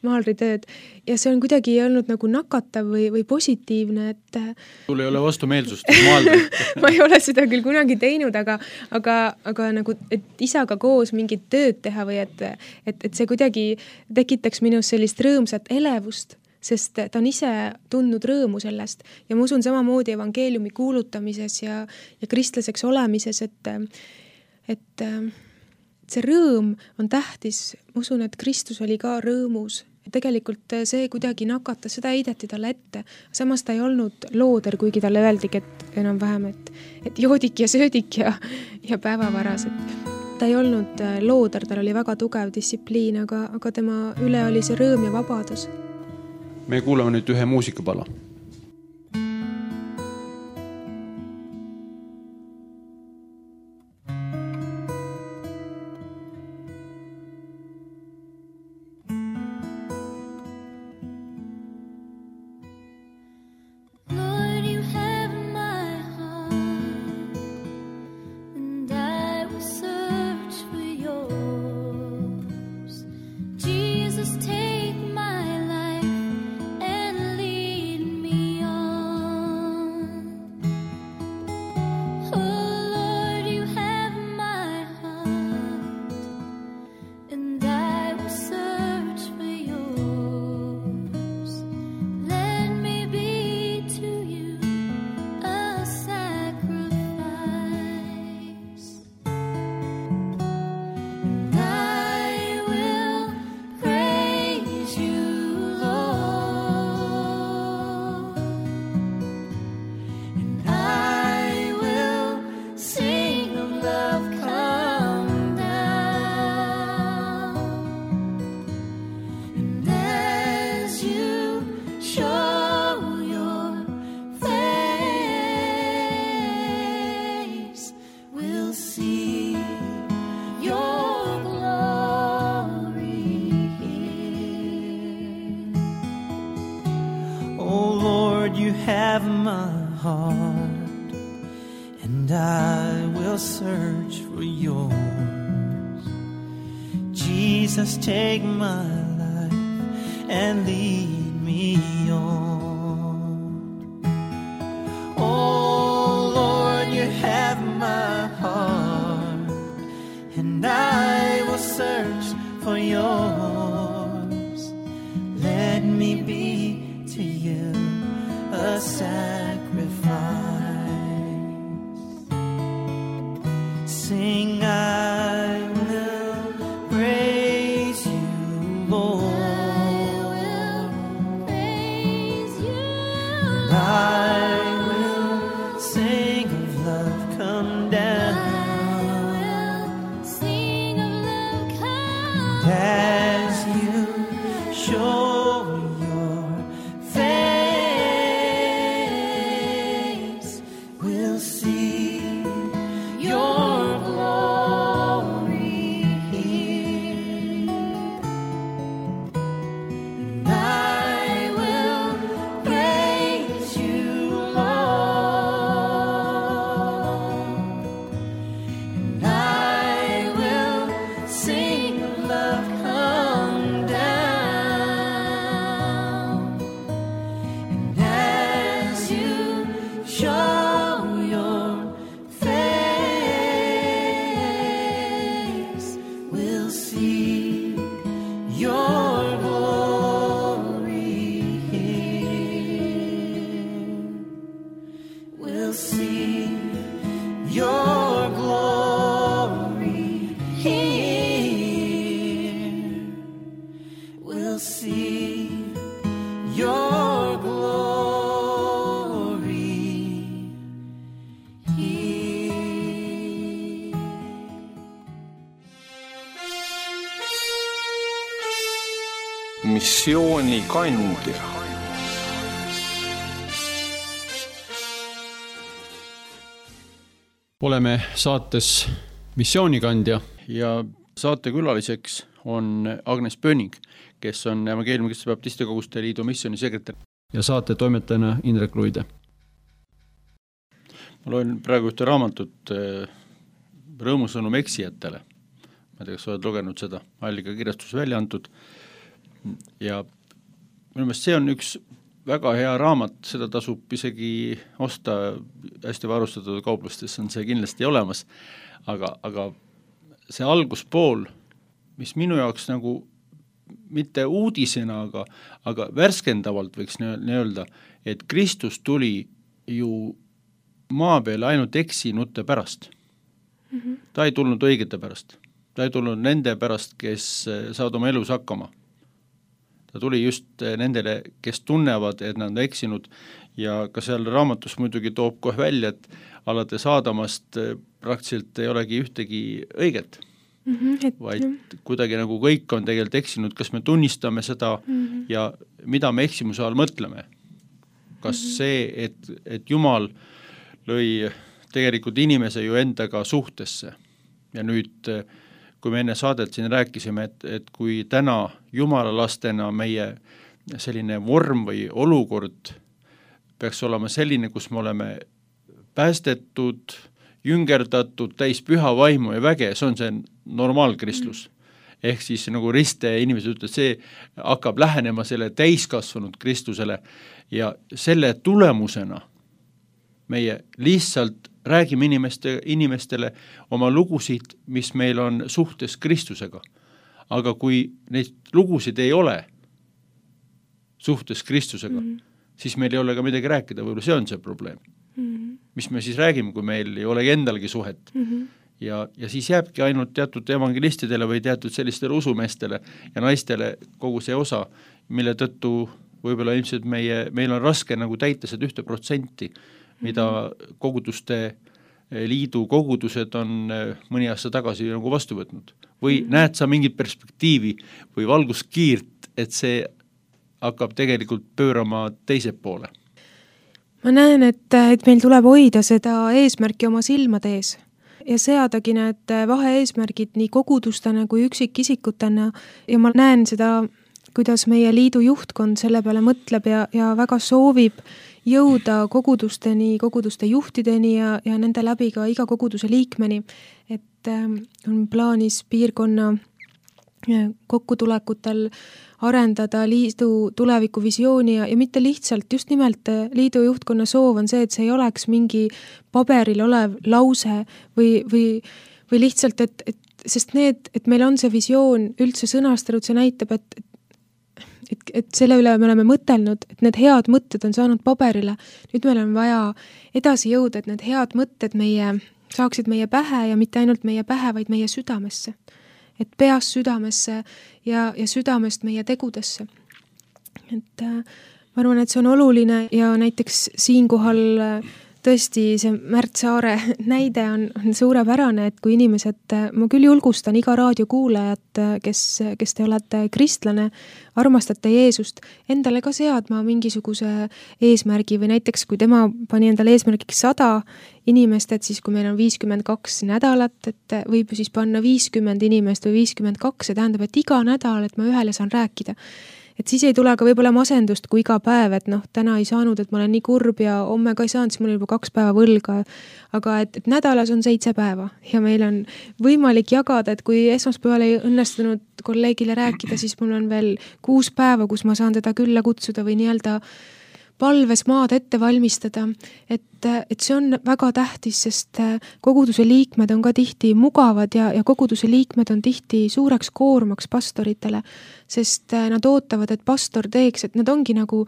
maalritööd. Ja see on kuidagi olnud nagu nakatav või, või positiivne, et sul ei ole vastumeelsust maalrit. Ma ei ole seda küll kunagi teinud, aga, aga, aga nagu, et isaga koos mingit tööd teha või et, et, et see kuidagi tekitaks minus sellist rõõmsat elevust, sest ta on ise tundnud rõõmu sellest. Ja ma usun samamoodi evangeeliumi kuulutamises ja, ja kristlaseks olemises, et et see rõõm on tähtis. Ma usun, et Kristus oli ka rõõmus. Ja tegelikult see kuidagi nakatas, seda heideti talle ette. Samas ta ei olnud looder, kuigi talle öeldigi, et enam vähem, et, et joodik ja söödik ja, ja päevavaras. Et ta ei olnud looder, tal oli väga tugev distsipliin, aga, aga tema üle oli see rõõm ja vabadus. Me kuulame nüüd ühe muusikapala. have my heart, and I will search for yours. Jesus, take my life and lead me on. Oh Lord, you have my heart, and I will search for yours. Let me be to you a sacrifice. Sing, I will praise you, Lord. I will praise you, And I will sing of love, come down. I will sing of love, come And as you show your face, we'll see your glory here. And I will praise you, Lord. And I will sing of love, come down. And as you show your face, we'll see your glory here. We'll see your glory here. We'll see your glory here. missioonikandja. Oleme saates Missioonikandja ja saatekülaliseks on Agnes Pöning, kes on Evangeeliumi-Kristluse Baptistide Koguste Liidu missioonisekretär ja saate toimetajana Indrek Luide. Ma loen praegu ühte raamatut Rõõmusõnum eksijatele. Ma ei tea, kas oled lugenud seda, Allika kirjastus välja antud. Ja minu meelest see on üks väga hea raamat, seda tasub isegi osta hästi varustatud kauplustes, on see kindlasti olemas, aga, aga see alguspool, mis minu jaoks nagu mitte uudisena, aga, aga värskendavalt võiks nii-öelda, et Kristus tuli ju maa peale ainult eksinute pärast. Mm-hmm. Ta ei tulnud õigete pärast. Ta ei tulnud nende pärast, kes saavad oma elus hakkama. Ta tuli just nendele, kes tunnevad, et nad on eksinud ja ka seal raamatus muidugi toob kohe välja, et alates Aadamast praktiliselt ei olegi ühtegi õiget, mm-hmm, et, vaid kuidagi nagu kõik on tegelikult eksinud, kas me tunnistame seda mm-hmm. ja mida me eksimuse all mõtleme. Kas mm-hmm. see, et, et Jumal lõi tegelikult inimese ju endaga suhtesse ja nüüd kui me enne saadet siin rääkisime, et, et kui täna Jumala lastena meie selline vorm või olukord peaks olema selline, kus me oleme päästetud, jüngerdatud, täis püha vaimu ja väge, see on see normaalkristlus. Ehk siis nagu riste inimesed ütlevad, see hakkab lähenema selle täiskasvanud Kristusele ja selle tulemusena meie lihtsalt räägime inimeste, inimestele oma lugusid, mis meil on suhtes Kristusega. Aga kui neid lugusid ei ole suhtes Kristusega, mm-hmm. siis meil ei ole ka midagi rääkida, võib-olla see on see probleem. Mm-hmm. Mis me siis räägime, kui meil ei olegi endalgi suhet. Mm-hmm. Ja, ja siis jääbki ainult teatud evangelistidele või teatud sellistele usumeestele ja naistele kogu see osa, mille tõttu võib-olla ilmselt meie, meil on raske nagu täita seda ühte protsenti, mida koguduste liidu kogudused on mõni aasta tagasi nagu vastu võtnud. Või mm-hmm. näed sa mingit perspektiivi või valguskiirt, et see hakkab tegelikult pöörama teise poole? Ma näen, et, et meil tuleb hoida seda eesmärki oma silmade ees ja seadagi need vahe-eesmärgid nii kogudustena kui üksikisikutena ja ma näen seda, kuidas meie liidu juhtkond selle peale mõtleb ja, ja väga soovib jõuda kogudusteni, koguduste juhtideni ja, ja nende läbi ka iga koguduse liikmeni, et äh, on plaanis piirkonna kokkutulekutel arendada liidu tulevikuvisiooni ja, ja mitte lihtsalt, just nimelt liidu juhtkonna soov on see, et see ei oleks mingi paberil olev lause või, või, või lihtsalt, et, et sest need, et meil on see visioon üldse sõnastatud, see näitab, et Et, et selle üle me oleme mõtelnud, et need head mõtted on saanud paberile. Nüüd meil on vaja edasi jõuda, et need head mõtted meie, saaksid meie pähe ja mitte ainult meie pähe, vaid meie südamesse. Et peast südamesse ja, ja südamest meie tegudesse. Et äh, ma arvan, et see on oluline ja näiteks siinkohal äh, tõesti see Märt Saare näide on, on suurepärane, et kui inimesed, ma küll julgustan iga raadiokuulajat, kes, kes te olete kristlane, armastate Jeesust, endale ka seadma mingisuguse eesmärgi või näiteks kui tema pani endale eesmärgiks sada inimest, et siis kui meil on viiskümmend kaks nädalat, et võib ju siis panna viiskümmend inimest või viiskümmend kaks, see tähendab, et iga nädal, et ma ühele saan rääkida. Et siis ei tule ka võib-olla masendust kui iga päev, et noh, täna ei saanud, et ma olen nii kurb ja homme ka ei saanud, siis mul on juba kaks päeva võlga. Aga et, et nädalas on seitse päeva ja meil on võimalik jagada, et kui esmaspäeval ei õnnestunud kolleegile rääkida, siis mul on veel kuus päeva, kus ma saan teda külla kutsuda või nii-öelda palves maad ette valmistada, et, et see on väga tähtis, sest koguduse liikmed on ka tihti mugavad ja, ja koguduse liikmed on tihti suureks koormaks pastoritele, sest nad ootavad, et pastor teeks, et nad ongi nagu,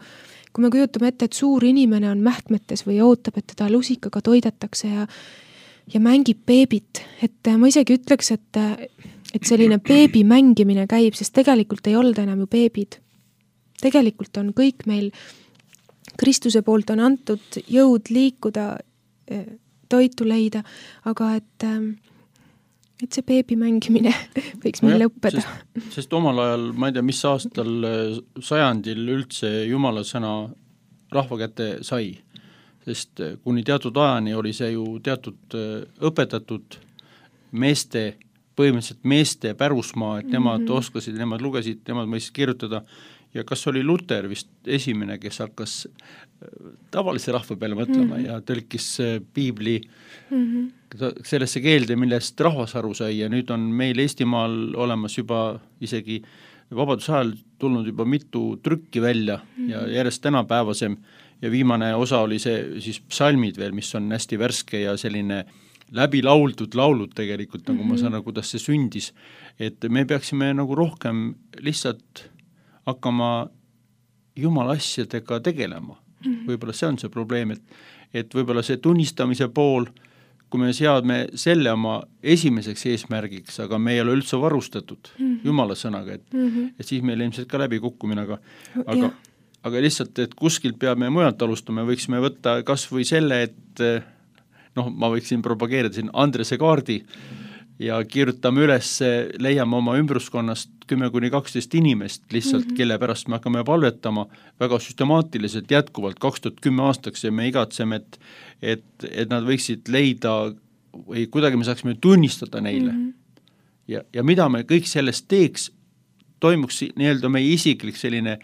kui me kujutame ette, et suur inimene on mähkmetes või ootab, et teda lusikaga toidetakse ja, ja mängib beebit, et ma isegi ütleks, et, et selline beebi mängimine käib, sest tegelikult ei olda enam ju beebid. Tegelikult on kõik meil Kristuse poolt on antud jõud liikuda, toitu leida, aga et et see beebi mängimine võiks meil lõppeda. Sest, sest omal ajal, ma ei tea, mis aastal sajandil üldse Jumala sõna rahva kätte sai, sest kuni teatud ajani oli see ju teatud õpetatud meeste, põhimõtteliselt meeste pärusmaa, et nemad mm-hmm. oskasid, nemad lugesid, nemad mõistsid kirjutada ja kas oli Luter vist esimene, kes hakkas tavalise rahva peale mõtlema mm-hmm. ja tõlkis piibli mm-hmm. sellesse keelde, millest rahvas aru sai ja nüüd on meil Eestimaal olemas juba isegi vabaduse ajal tulnud juba mitu trükki välja mm-hmm. ja järjest tänapäevasem ja viimane osa oli see siis psalmid veel, mis on hästi värske ja selline läbi lauldud laulud tegelikult, nagu mm-hmm. ma saan, kuidas see sündis, et me peaksime nagu rohkem lihtsalt hakkama Jumala asjadega tegelema. Mm-hmm. Võib-olla see on see probleem, et, et võib-olla see tunnistamise pool, kui me seadme selle oma esimeseks eesmärgiks, aga me ei ole üldse varustatud mm-hmm. Jumala sõnaga, et, mm-hmm. et siis meil ilmselt ka läbi kukkumine, aga, aga, aga lihtsalt, et kuskilt peame mujalt alustama, võiksime võtta kas või selle, et noh, ma võiksin propageerida siin Andrese kaardi ja kirjutame üles, leiame oma ümbruskonnast kümme kuni kaksteist inimest lihtsalt mm, -hmm. kelle pärast me hakkame palvetama väga süstemaatiliselt jätkuvalt kaks tuhat kümme aastaks ja me igatseme, et, et, et nad võiksid leida või kuidagi me saaksime tunnistada neile. Mm -hmm. ja, ja mida me kõik sellest teeks, toimuks nii-öelda meie isiklik selline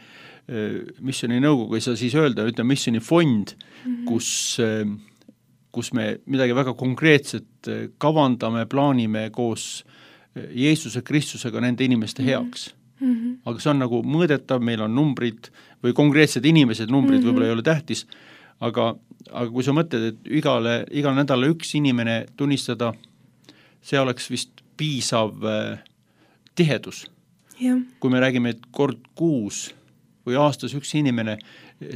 missiooni nõukogu, ei saa siis öelda, ütleme missiooni fond, mm -hmm. kus kus me midagi väga konkreetset kavandame, plaanime koos Jeesuse Kristusega nende inimeste heaks. Mm-hmm. Aga see on nagu mõõdetav, meil on numbrid või konkreetsed inimesed, numbrid mm-hmm. võib-olla ei ole tähtis, aga, aga kui sa mõtled, et igale, igal nädala üks inimene tunnistada, see oleks vist piisav äh, tihedus. Ja. Kui me räägime, et kord kuus või aastas üks inimene,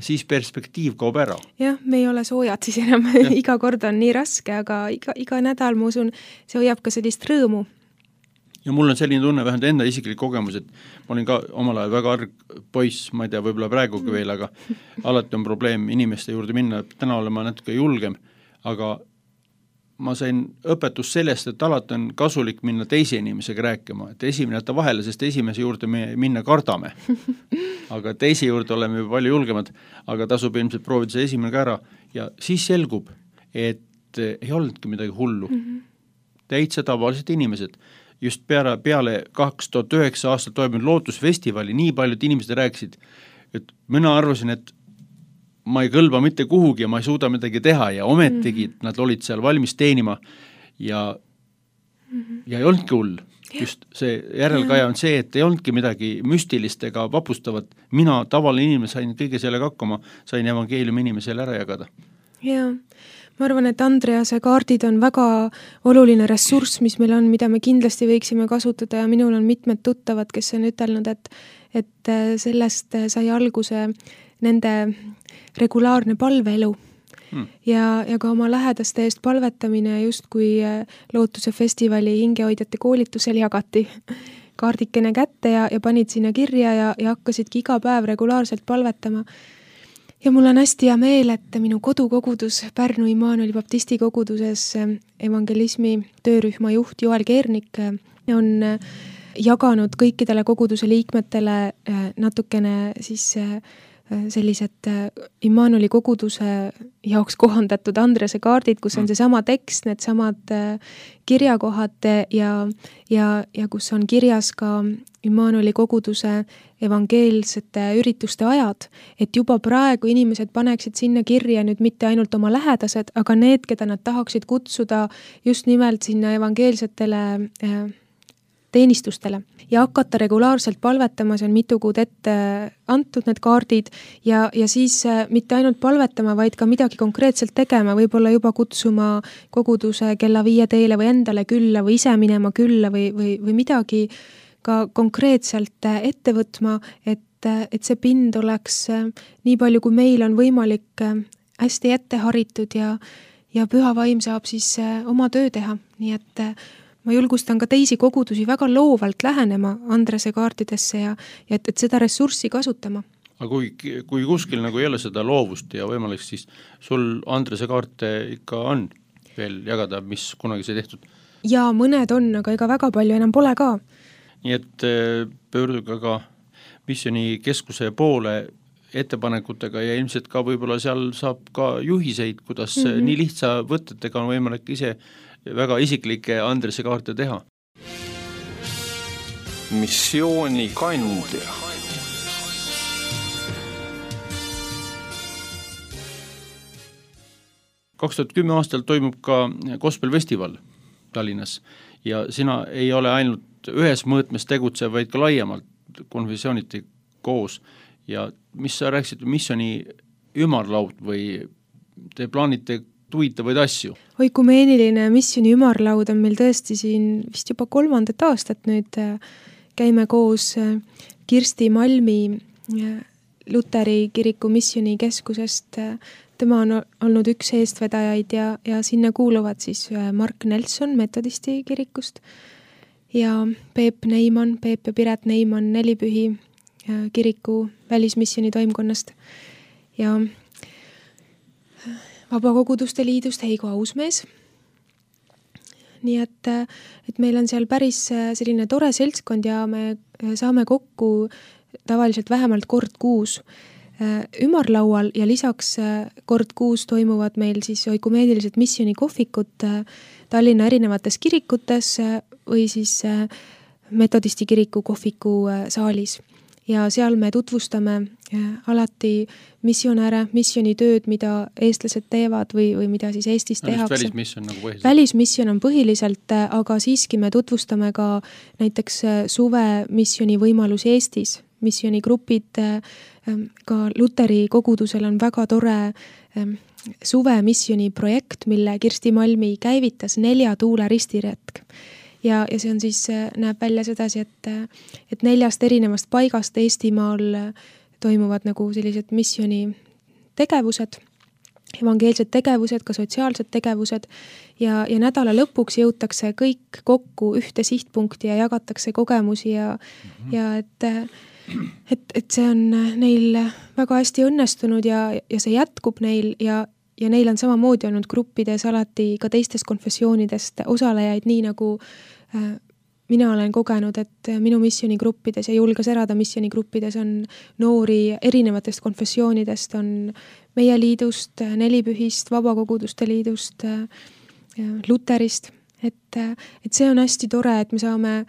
siis perspektiiv kaob ära. Jah, me ei ole soojad siis enam, iga kord on nii raske, aga iga, iga nädal, ma usun, see hoiab ka sellist rõõmu. Ja mul on selline tunne, vähemalt enda isiklik kogemus, et ma olin ka omal ajal väga arg poiss, ma ei tea, võib-olla praegugi veel, aga alati on probleem inimeste juurde minna, täna olen ma natuke julgem, aga ma sain õpetust sellest, et alati on kasulik minna teise inimesega rääkima, et esimene jätta vahele, sest esimese juurde me minna kardame. Aga teise juurde oleme juba palju julgemad, aga tasub ilmselt proovida see esimene ka ära ja siis selgub, et ei olnudki midagi hullu. Mm-hmm. Täitsa tavalised inimesed. Just peale, peale kaks tuhat üheksa aastat toimunud lootusfestivali nii paljud inimesed rääkisid, et mina arvasin, et ma ei kõlba mitte kuhugi ja ma ei suuda midagi teha ja ometigi mm-hmm. nad olid seal valmis teenima ja, mm-hmm. ja ei olnudki hull. Just see järelkaja on see, et ei olnudki midagi müstilist ega vapustavat. Mina tavaline inimene sain kõige sellega hakkama, sain evangeeliumi inimesele ära jagada. Jaa, ma arvan, et Andrease kaardid on väga oluline ressurss, mis meil on, mida me kindlasti võiksime kasutada ja minul on mitmed tuttavad, kes on ütelnud, et, et sellest sai alguse nende regulaarne palveelu hmm. ja, ja ka oma lähedaste eest palvetamine just kui Lootuse festivali hingehoidjate koolitusel jagati kaardikene kätte ja, ja panid sinna kirja ja, ja hakkasidki iga päev regulaarselt palvetama. Ja mul on hästi hea meel, et minu kodukogudus Pärnu Immanueli baptisti koguduses evangelismi töörühma juht Joel Keernik on jaganud kõikidele koguduse liikmetele natukene siis sellised Immanueli koguduse jaoks kohandatud Andrese kaardid, kus on see sama tekst, need samad kirjakohad ja, ja, ja kus on kirjas ka Immanueli koguduse evangeelsete ürituste ajad, et juba praegu inimesed paneksid sinna kirja nüüd mitte ainult oma lähedased, aga need, keda nad tahaksid kutsuda just nimelt sinna evangeelsetele teenistustele ja hakata regulaarselt palvetama, see on mitu kuud ette antud need kaardid ja, ja siis mitte ainult palvetama, vaid ka midagi konkreetselt tegema, võib-olla juba kutsuma koguduse kella viie teele või endale külla või ise minema külla või, või, või midagi ka konkreetselt ette võtma, et, et see pind oleks nii palju, kui meil on võimalik hästi ette haritud ja, ja püha vaim saab siis oma töö teha, nii et ma julgustan ka teisi kogudusi väga loovalt lähenema Andrese kaartidesse ja, ja et, et seda ressurssi kasutama. Aga kui, kui kuskil nagu ei ole seda loovust ja võimalik, siis sul Andrese kaarte ikka on veel jagada, mis kunagi sai tehtud? ja mõned on, aga ega väga palju enam pole ka. nii et pöörduge ka missiooni keskuse poole ettepanekutega ja ilmselt ka võib-olla seal saab ka juhiseid, kuidas mm -hmm. nii lihtsa võtetega on võimalik ise väga isiklikke andresekaarte teha. Missioonikandja. kaks tuhat kümme aastal toimub ka Gospel Festival Tallinnas ja sina ei ole ainult ühes mõõtmes tegutsev, vaid ka laiemalt konfessiooniti koos. Ja mis sa rääkisid, missiooni ümarlaud või te plaanite huvitavaid asju? Oikumeeniline missiooni ümarlaud on meil tõesti siin vist juba kolmandat aastat nüüd. Käime koos Kirsti Malmi Luteri kiriku missiooni keskusest. Tema on olnud üks eestvedajaid ja, ja sinna kuuluvad siis Mark Nelson metodisti kirikust ja Peep Neiman, Peep ja Piret Neiman Nelipühi kiriku välismissiooni toimkonnast ja Vabakoguduste liidust Heigo Ausmees. Nii et, et meil on seal päris selline tore seltskond ja me saame kokku tavaliselt vähemalt kord kuus ümarlaual ja lisaks kord kuus toimuvad meil siis oikumeenilised missioonikohvikud Tallinna erinevates kirikutes või siis metodisti kiriku kohviku saalis. Ja seal me tutvustame alati missionäre, missioonitööd, mida eestlased teevad või, või mida siis Eestis no, tehakse. Välismission nagu põhiliselt. Välismission on põhiliselt, aga siiski me tutvustame ka näiteks suve missiooni võimalusi Eestis. Missionigrupid, ka Luteri kogudusel on väga tore suve missiooni projekt, mille Kirsti Malmi käivitas nelja tuule ristiretk. Ja, ja see on siis, näeb välja sedasi, et, et neljast erinevast paigast Eestimaal toimuvad nagu sellised missiooni tegevused, evangeelsed tegevused, ka sotsiaalsed tegevused ja, ja nädala lõpuks jõutakse kõik kokku ühte sihtpunkti ja jagatakse kogemusi ja, mm-hmm. ja et, et, et see on neil väga hästi õnnestunud ja, ja see jätkub neil ja Ja neil on samamoodi olnud gruppides alati ka teistest konfessioonidest osalejaid, nii nagu äh, mina olen kogenud, et minu missionigruppides ja Julge Serada missionigruppides on noori erinevatest konfessioonidest, on meie liidust, Nelipühist, Vabakoguduste liidust, äh, Luterist. Et, et see on hästi tore, et me saame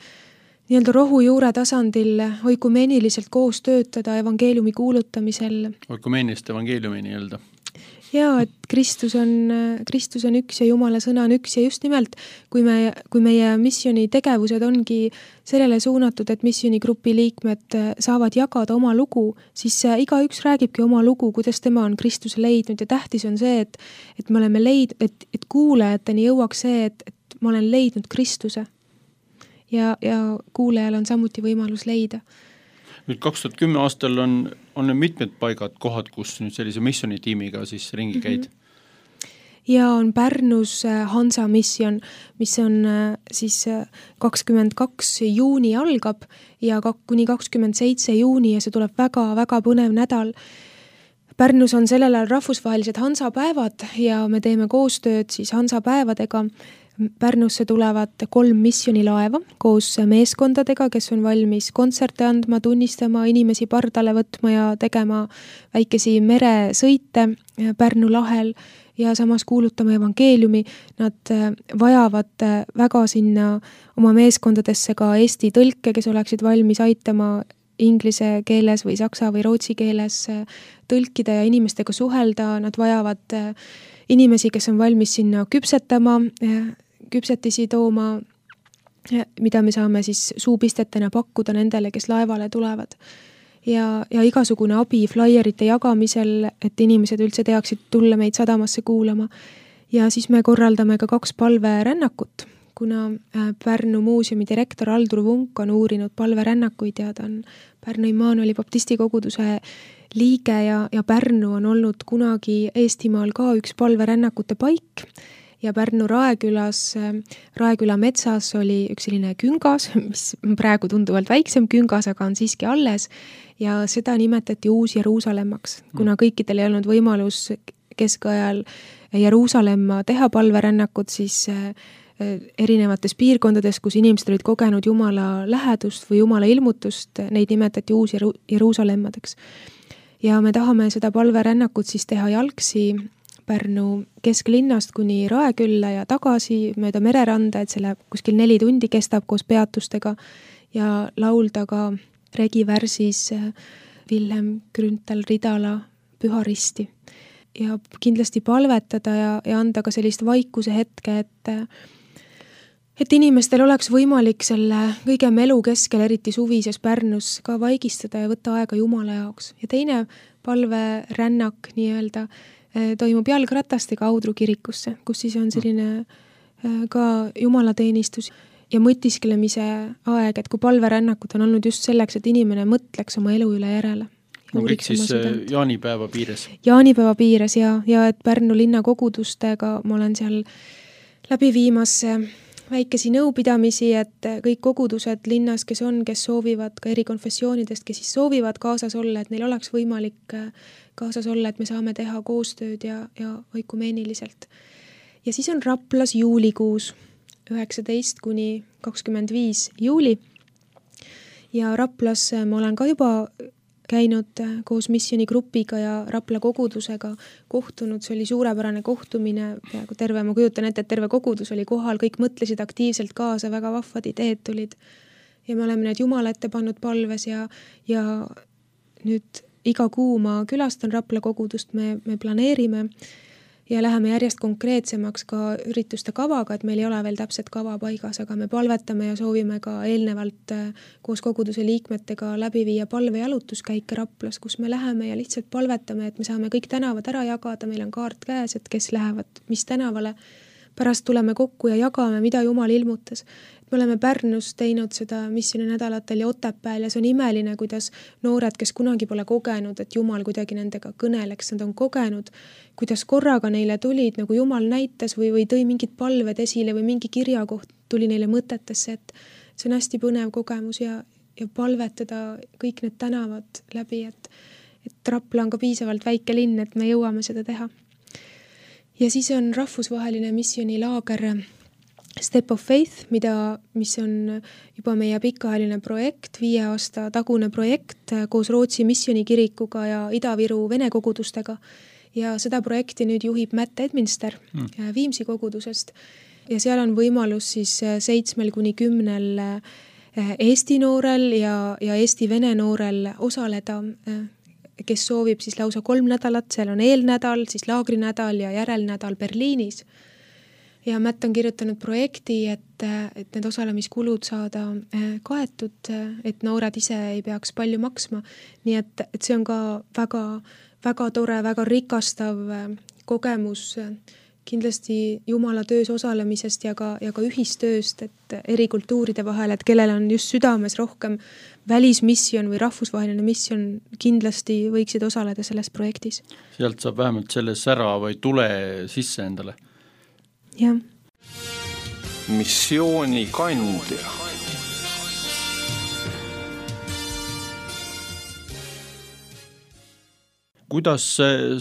nii-öelda rohujuure tasandil oikumeeniliselt koos töötada evangeeliumi kuulutamisel. Oikumeenist evangeeliumi nii-öelda. Jaa, et Kristus on, Kristus on üks ja Jumala sõna on üks ja just nimelt, kui, me, kui meie missiooni tegevused ongi sellele suunatud, et missioonigrupi liikmed saavad jagada oma lugu, siis igaüks räägibki oma lugu, kuidas tema on Kristuse leidnud ja tähtis on see, et, et me oleme leid, et, et kuulajateni jõuaks see, et, et ma olen leidnud Kristuse ja, ja kuulajal on samuti võimalus leida. Nüüd kaks tuhat kümme aastal on, on mitmed paigad, kohad, kus nüüd sellise missionitiimiga siis ringi käid? Mm-hmm. Ja on Pärnus Hansa mission, mis on siis kakskümmend kaks juuni algab ja kuni kakskümmend seitse juuni ja see tuleb väga-väga põnev nädal. Pärnus on sellel ajal rahvusvahelised Hansa päevad ja me teeme koostööd siis Hansa päevadega. Pärnusse tulevad kolm missionilaeva koos meeskondadega, kes on valmis kontserte andma, tunnistama, inimesi pardale võtma ja tegema väikesi meresõite Pärnu lahel ja samas kuulutama evangeeliumi. Nad vajavad väga sinna oma meeskondadesse ka eesti tõlke, kes oleksid valmis aitama inglise keeles või saksa või rootsi keeles tõlkida ja inimestega suhelda. Nad vajavad inimesi, kes on valmis sinna küpsetama, küpsetisi tooma, mida me saame siis suupistetena pakkuda nendele, kes laevale tulevad. Ja, ja igasugune abi flyerite jagamisel, et inimesed üldse teaksid tulla meid sadamasse kuulama. Ja siis me korraldame ka kaks palverännakut, kuna Pärnu muuseumi direktor Aldur Vunk on uurinud palverännakuid ja ta on Pärnu Immanueli baptisti koguduse liige ja, ja Pärnu on olnud kunagi Eestimaal ka üks palverännakute paik. Ja Pärnu Raekülas, Raeküla metsas oli üks selline küngas, mis praegu tunduvalt väiksem küngas, aga on siiski alles ja seda nimetati Uus-Jeruusalemmaks, kuna kõikidel ei olnud võimalus keskajal Jeruusalemma teha palverännakut, siis erinevates piirkondades, kus inimesed olid kogenud Jumala lähedust või Jumala ilmutust, neid nimetati uus Jeruusalemmadeks. Ja me tahame seda palverännakut siis teha jalgsi Pärnu kesklinnast kuni Raekülla ja tagasi mööda mereranda, et selle kuskil neli tundi kestab koos peatustega ja laulda ka regivärsis Vilhelm Grünthal Ridala Püha Risti. Ja kindlasti palvetada ja, ja anda ka sellist vaikuse hetke, et et inimestel oleks võimalik selle kõige melu keskel, eriti suvises Pärnus, ka vaigistada ja võtta aega Jumala jaoks. Ja teine palverännak nii-öelda toimub jalgratastega Audru kirikusse, kus siis on selline ka jumalateenistus ja mõtisklemise aeg, et kui palverännakud on olnud just selleks, et inimene mõtleks oma elu üle järele. No kõik siis südant. jaanipäeva piires? Jaanipäeva piires ja, ja et Pärnu linna kogudustega ma olen seal läbi viimas väikesi nõupidamisi, et kõik kogudused linnas, kes on, kes soovivad ka eri konfessioonidest, kes siis soovivad kaasas olla, et neil oleks võimalik kaasas olla, et me saame teha koostööd ja, ja oikumeeniliselt. Ja siis on Raplas juulikuus, üheksateist kuni kakskümmend viis juuli. Ja Raplas ma olen ka juba käinud koos missioonigrupiga ja Rapla kogudusega kohtunud, see oli suurepärane kohtumine, peaaegu terve, ma kujutan ette, et terve kogudus oli kohal, kõik mõtlesid aktiivselt kaasa, väga vahvad ideed tulid. Ja me oleme need Jumala ette pannud palves ja, ja nüüd iga kuu ma külastan Rapla kogudust, me, me planeerime ja läheme järjest konkreetsemaks ka ürituste kavaga, et meil ei ole veel täpset kava paigas, aga me palvetame ja soovime ka eelnevalt koos koguduse liikmetega läbi viia palvejalutuskäike Raplas, kus me läheme ja lihtsalt palvetame, et me saame kõik tänavad ära jagada, meil on kaart käes, et kes lähevad mis tänavale. Pärast tuleme kokku ja jagame, mida Jumal ilmutas. Me oleme Pärnus teinud seda missiooninädalatel ja Otepääl ja see on imeline, kuidas noored, kes kunagi pole kogenud, et Jumal kuidagi nendega kõneleks, nad on kogenud, kuidas korraga neile tulid, nagu Jumal näitas või, või tõi mingid palved esile või mingi kirjakoht tuli neile mõtetesse, et see on hästi põnev kogemus ja, ja palvetada kõik need tänavad läbi, et, et Rapla on ka piisavalt väike linn, et me jõuame seda teha. Ja siis on rahvusvaheline missioonilaager Step of Faith, mida, mis on juba meie pikaajaline projekt, viie aasta tagune projekt koos Rootsi missioonikirikuga ja Ida-Viru vene kogudustega. Ja seda projekti nüüd juhib Matt Edminster mm. Viimsi kogudusest. Ja seal on võimalus siis seitsmel kuni kümnel Eesti noorel ja, ja Eesti-vene noorel osaleda, kes soovib siis lausa kolm nädalat, seal on eelnädal, siis laagrinädal ja järelnädal Berliinis. Ja Matt on kirjutanud projekti, et, et need osalemiskulud saada kaetud, et noored ise ei peaks palju maksma. Nii et, et see on ka väga, väga tore, väga rikastav kogemus kindlasti Jumala töös osalemisest ja ka, ja ka ühistööst, et eri kultuuride vahel, et kellel on just südames rohkem välismissioon või rahvusvaheline missioon, kindlasti võiksid osaleda selles projektis. Sealt saab vähemalt selle sära või tule sisse endale. Jah. Missiooni kandja. Kuidas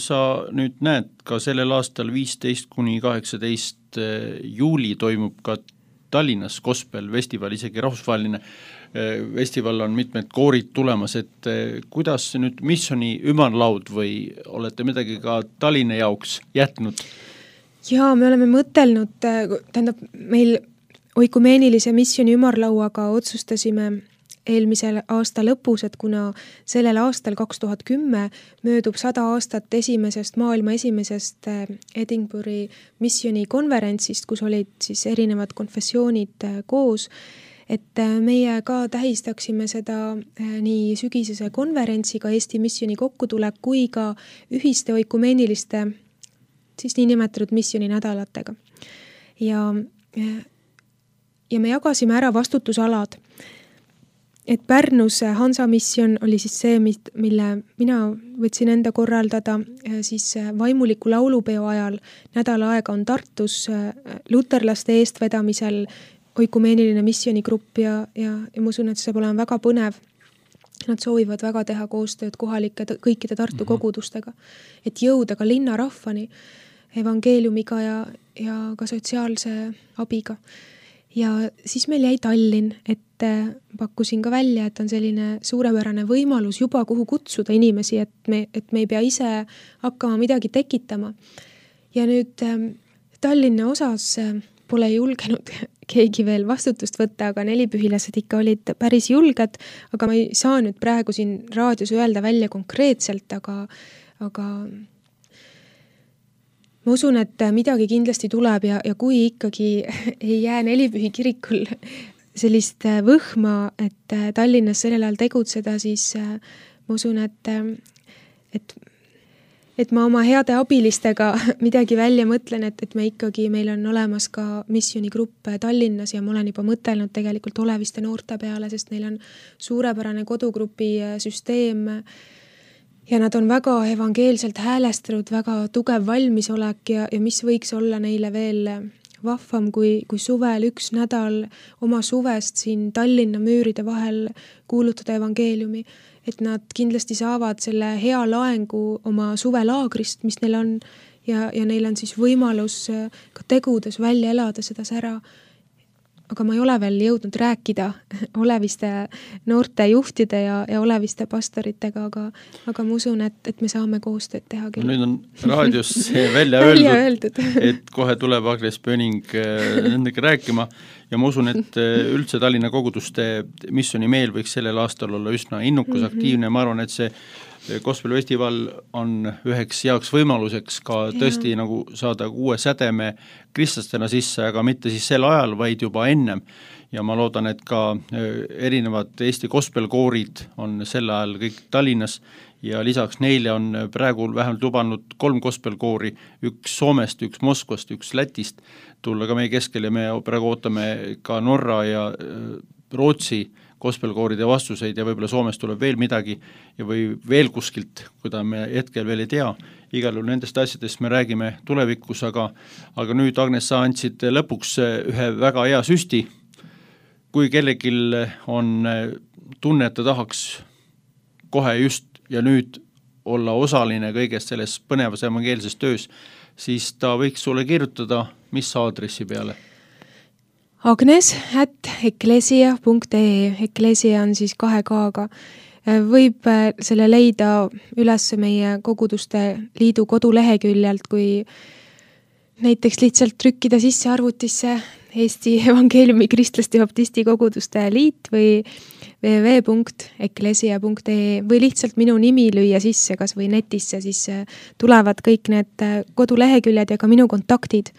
sa nüüd näed, ka sellel aastal viisteist kuni kaheksateist juuli toimub ka Tallinnas Gospel festival, isegi rahvusvaheline festival on mitmed koorid tulemas, et kuidas nüüd missiooni ümarlaud või olete midagi ka Tallinna jaoks jätnud? Jaa, me oleme mõtelnud, tähendab meil oikumeenilise missiooni ümarlauaga otsustasime eelmisel aasta lõpus, et kuna sellel aastal kaks tuhat kümme möödub sada aastat esimesest maailma esimesest Edinburghi missiooni konverentsist, kus olid siis erinevad konfessioonid koos, et meie ka tähistaksime seda nii sügisese konverentsiga Eesti missiooni kokkutulek kui ka ühiste oikumeeniliste siis nii nimetatud missiooni nädalatega. Ja, ja me jagasime ära vastutusalad. Et Pärnus Hansa missioon oli siis see, mille mina võtsin enda korraldada siis vaimuliku laulupeo ajal. Nädala aega on Tartus luterlaste eestvedamisel oikumeeniline missioonigrupp ja, ja, ja ma usun, et see saab olema väga põnev. Nad soovivad väga teha koostööd kohalike kõikide Tartu kogudustega, et jõuda ka linnarahvani. evangeeliumiga ja, ja ka sotsiaalse abiga. Ja siis meil jäi Tallinn, et pakkusin ka välja, et on selline suurepärane võimalus juba kuhu kutsuda inimesi, et me, et me ei pea ise hakkama midagi tekitama. Ja nüüd Tallinna osas pole julgenud keegi veel vastutust võtta, aga nelipühilased ikka olid päris julged, aga ma ei saa nüüd praegu siin raadios öelda välja konkreetselt, aga, aga ma usun, et midagi kindlasti tuleb ja, ja kui ikkagi ei jää nelipühi kirikul sellist võhma, et Tallinnas sellel ajal tegutseda, siis ma usun, et, et, et ma oma heade abilistega midagi välja mõtlen, et, et me ikkagi, meil on olemas ka missioonigrupp Tallinnas ja ma olen juba mõtelnud tegelikult Oleviste noorte peale, sest neil on suurepärane kodugrupi süsteem ja nad on väga evangeelselt häälestanud, väga tugev valmisolek ja, ja mis võiks olla neile veel vahvam, kui, kui suvel üks nädal oma suvest siin Tallinna müüride vahel kuulutada evangeeliumi, et nad kindlasti saavad selle hea laengu oma suvelaagrist, mis neil on ja, ja neil on siis võimalus ka tegudes välja elada seda sära. Aga ma ei ole veel jõudnud rääkida Oleviste noorte juhtide ja, ja Oleviste pastoritega, aga, aga ma usun, et, et me saame koostööd teha küll. Nüüd on raadios see välja välja öeldud, öeldud. et kohe tuleb Agnes Pöning nendega rääkima ja ma usun, et üldse Tallinna koguduste missiooni meel võiks sellel aastal olla üsna innukus, mm-hmm. aktiivne, ma arvan, et see Gospel Festival on üheks heaks võimaluseks ka tõesti ja. nagu saada uue sädeme kristlastena sisse, aga mitte siis sel ajal, vaid juba ennem. Ja ma loodan, et ka erinevad Eesti gospelkoorid on sel ajal kõik Tallinnas ja lisaks neile on praegu vähemalt lubanud kolm gospelkoori, üks Soomest, üks Moskvast, üks Lätist tulla ka meie keskel ja me praegu ootame ka Norra ja Rootsi gospelkooride vastuseid ja võib-olla Soomest tuleb veel midagi ja või veel kuskilt, kuida me hetkel veel ei tea. Igal juhul nendest asjadest me räägime tulevikus, aga, aga nüüd, Agnes, sa andsid lõpuks ühe väga hea süsti. Kui kellegil on tunne, et ta tahaks kohe just ja nüüd olla osaline kõigest selles põnevas evangeelses töös, siis ta võiks sulle kirjutada mis aadressi peale? Agnes at eklesia punkt ee, eklesia on siis kahe kaaga. Võib selle leida üles meie koguduste liidu koduleheküljelt, kui näiteks lihtsalt trükkida sisse arvutisse Eesti Evangeeliumi Kristlaste Baptisti koguduste liit või double-u double-u double-u punkt eklesia punkt ee või lihtsalt minu nimi lüüa sisse kas või netisse, siis tulevad kõik need koduleheküljed ja ka minu kontaktid.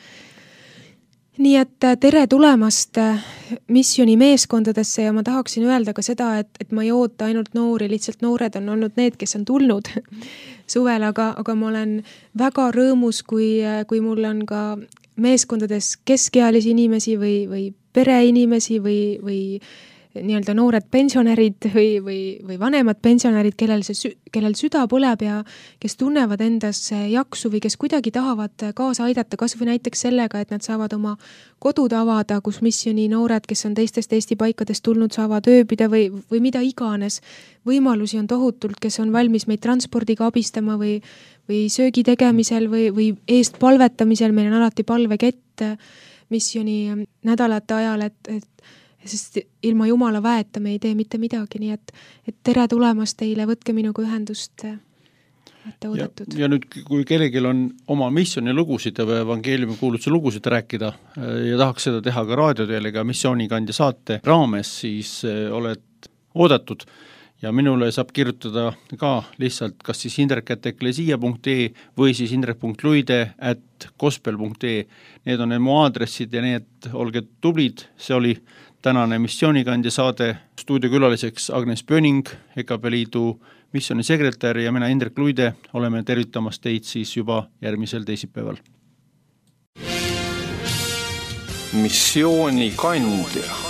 Nii et tere tulemast missiooni meeskondadesse ja ma tahaksin öelda ka seda, et, et ma ei oota ainult noori, lihtsalt noored on olnud need, kes on tulnud suvel, aga, aga ma olen väga rõõmus, kui, kui mul on ka meeskondades keskealisi inimesi või, või pereinimesi või, või nii-öelda noored pensionärid või, või, või vanemad pensionärid, kellel, see, kellel süda põleb ja kes tunnevad endas jaksu või kes kuidagi tahavad kaasa aidata, kas või näiteks sellega, et nad saavad oma kodud avada, kus missiooni noored, kes on teistest Eesti paikadest tulnud, saavad ööbida või, või mida iganes. Võimalusi on tohutult, kes on valmis meid transpordiga abistama või, või söögi tegemisel või, või eest palvetamisel, meil on alati palvekett missiooni nädalate ajal, et, et sest ilma Jumala väeta me ei tee mitte midagi, nii et, et tere tulemast teile, võtke minuga ühendust, olete oodatud. Ja, ja nüüd, kui kellelgi on oma missiooni lugusid või evangeeliumi kuulutuse lugusid rääkida ja tahaks seda teha ka raadioteelega missioonikandja saate raames, siis oled oodatud ja minule saab kirjutada ka lihtsalt kas siis indrek at eklesia punkt ee või siis indrek punkt luide at gospel punkt ee. Need on need mu aadressid ja need olge tublid, see oli tänane missioonikandja saade, stuudiokülaliseks Agnes Pöning, E K P Liidu missioonisekretär ja mina Indrek Luide, oleme tervitamas teid siis juba järgmisel teisipäeval. Missioonikandja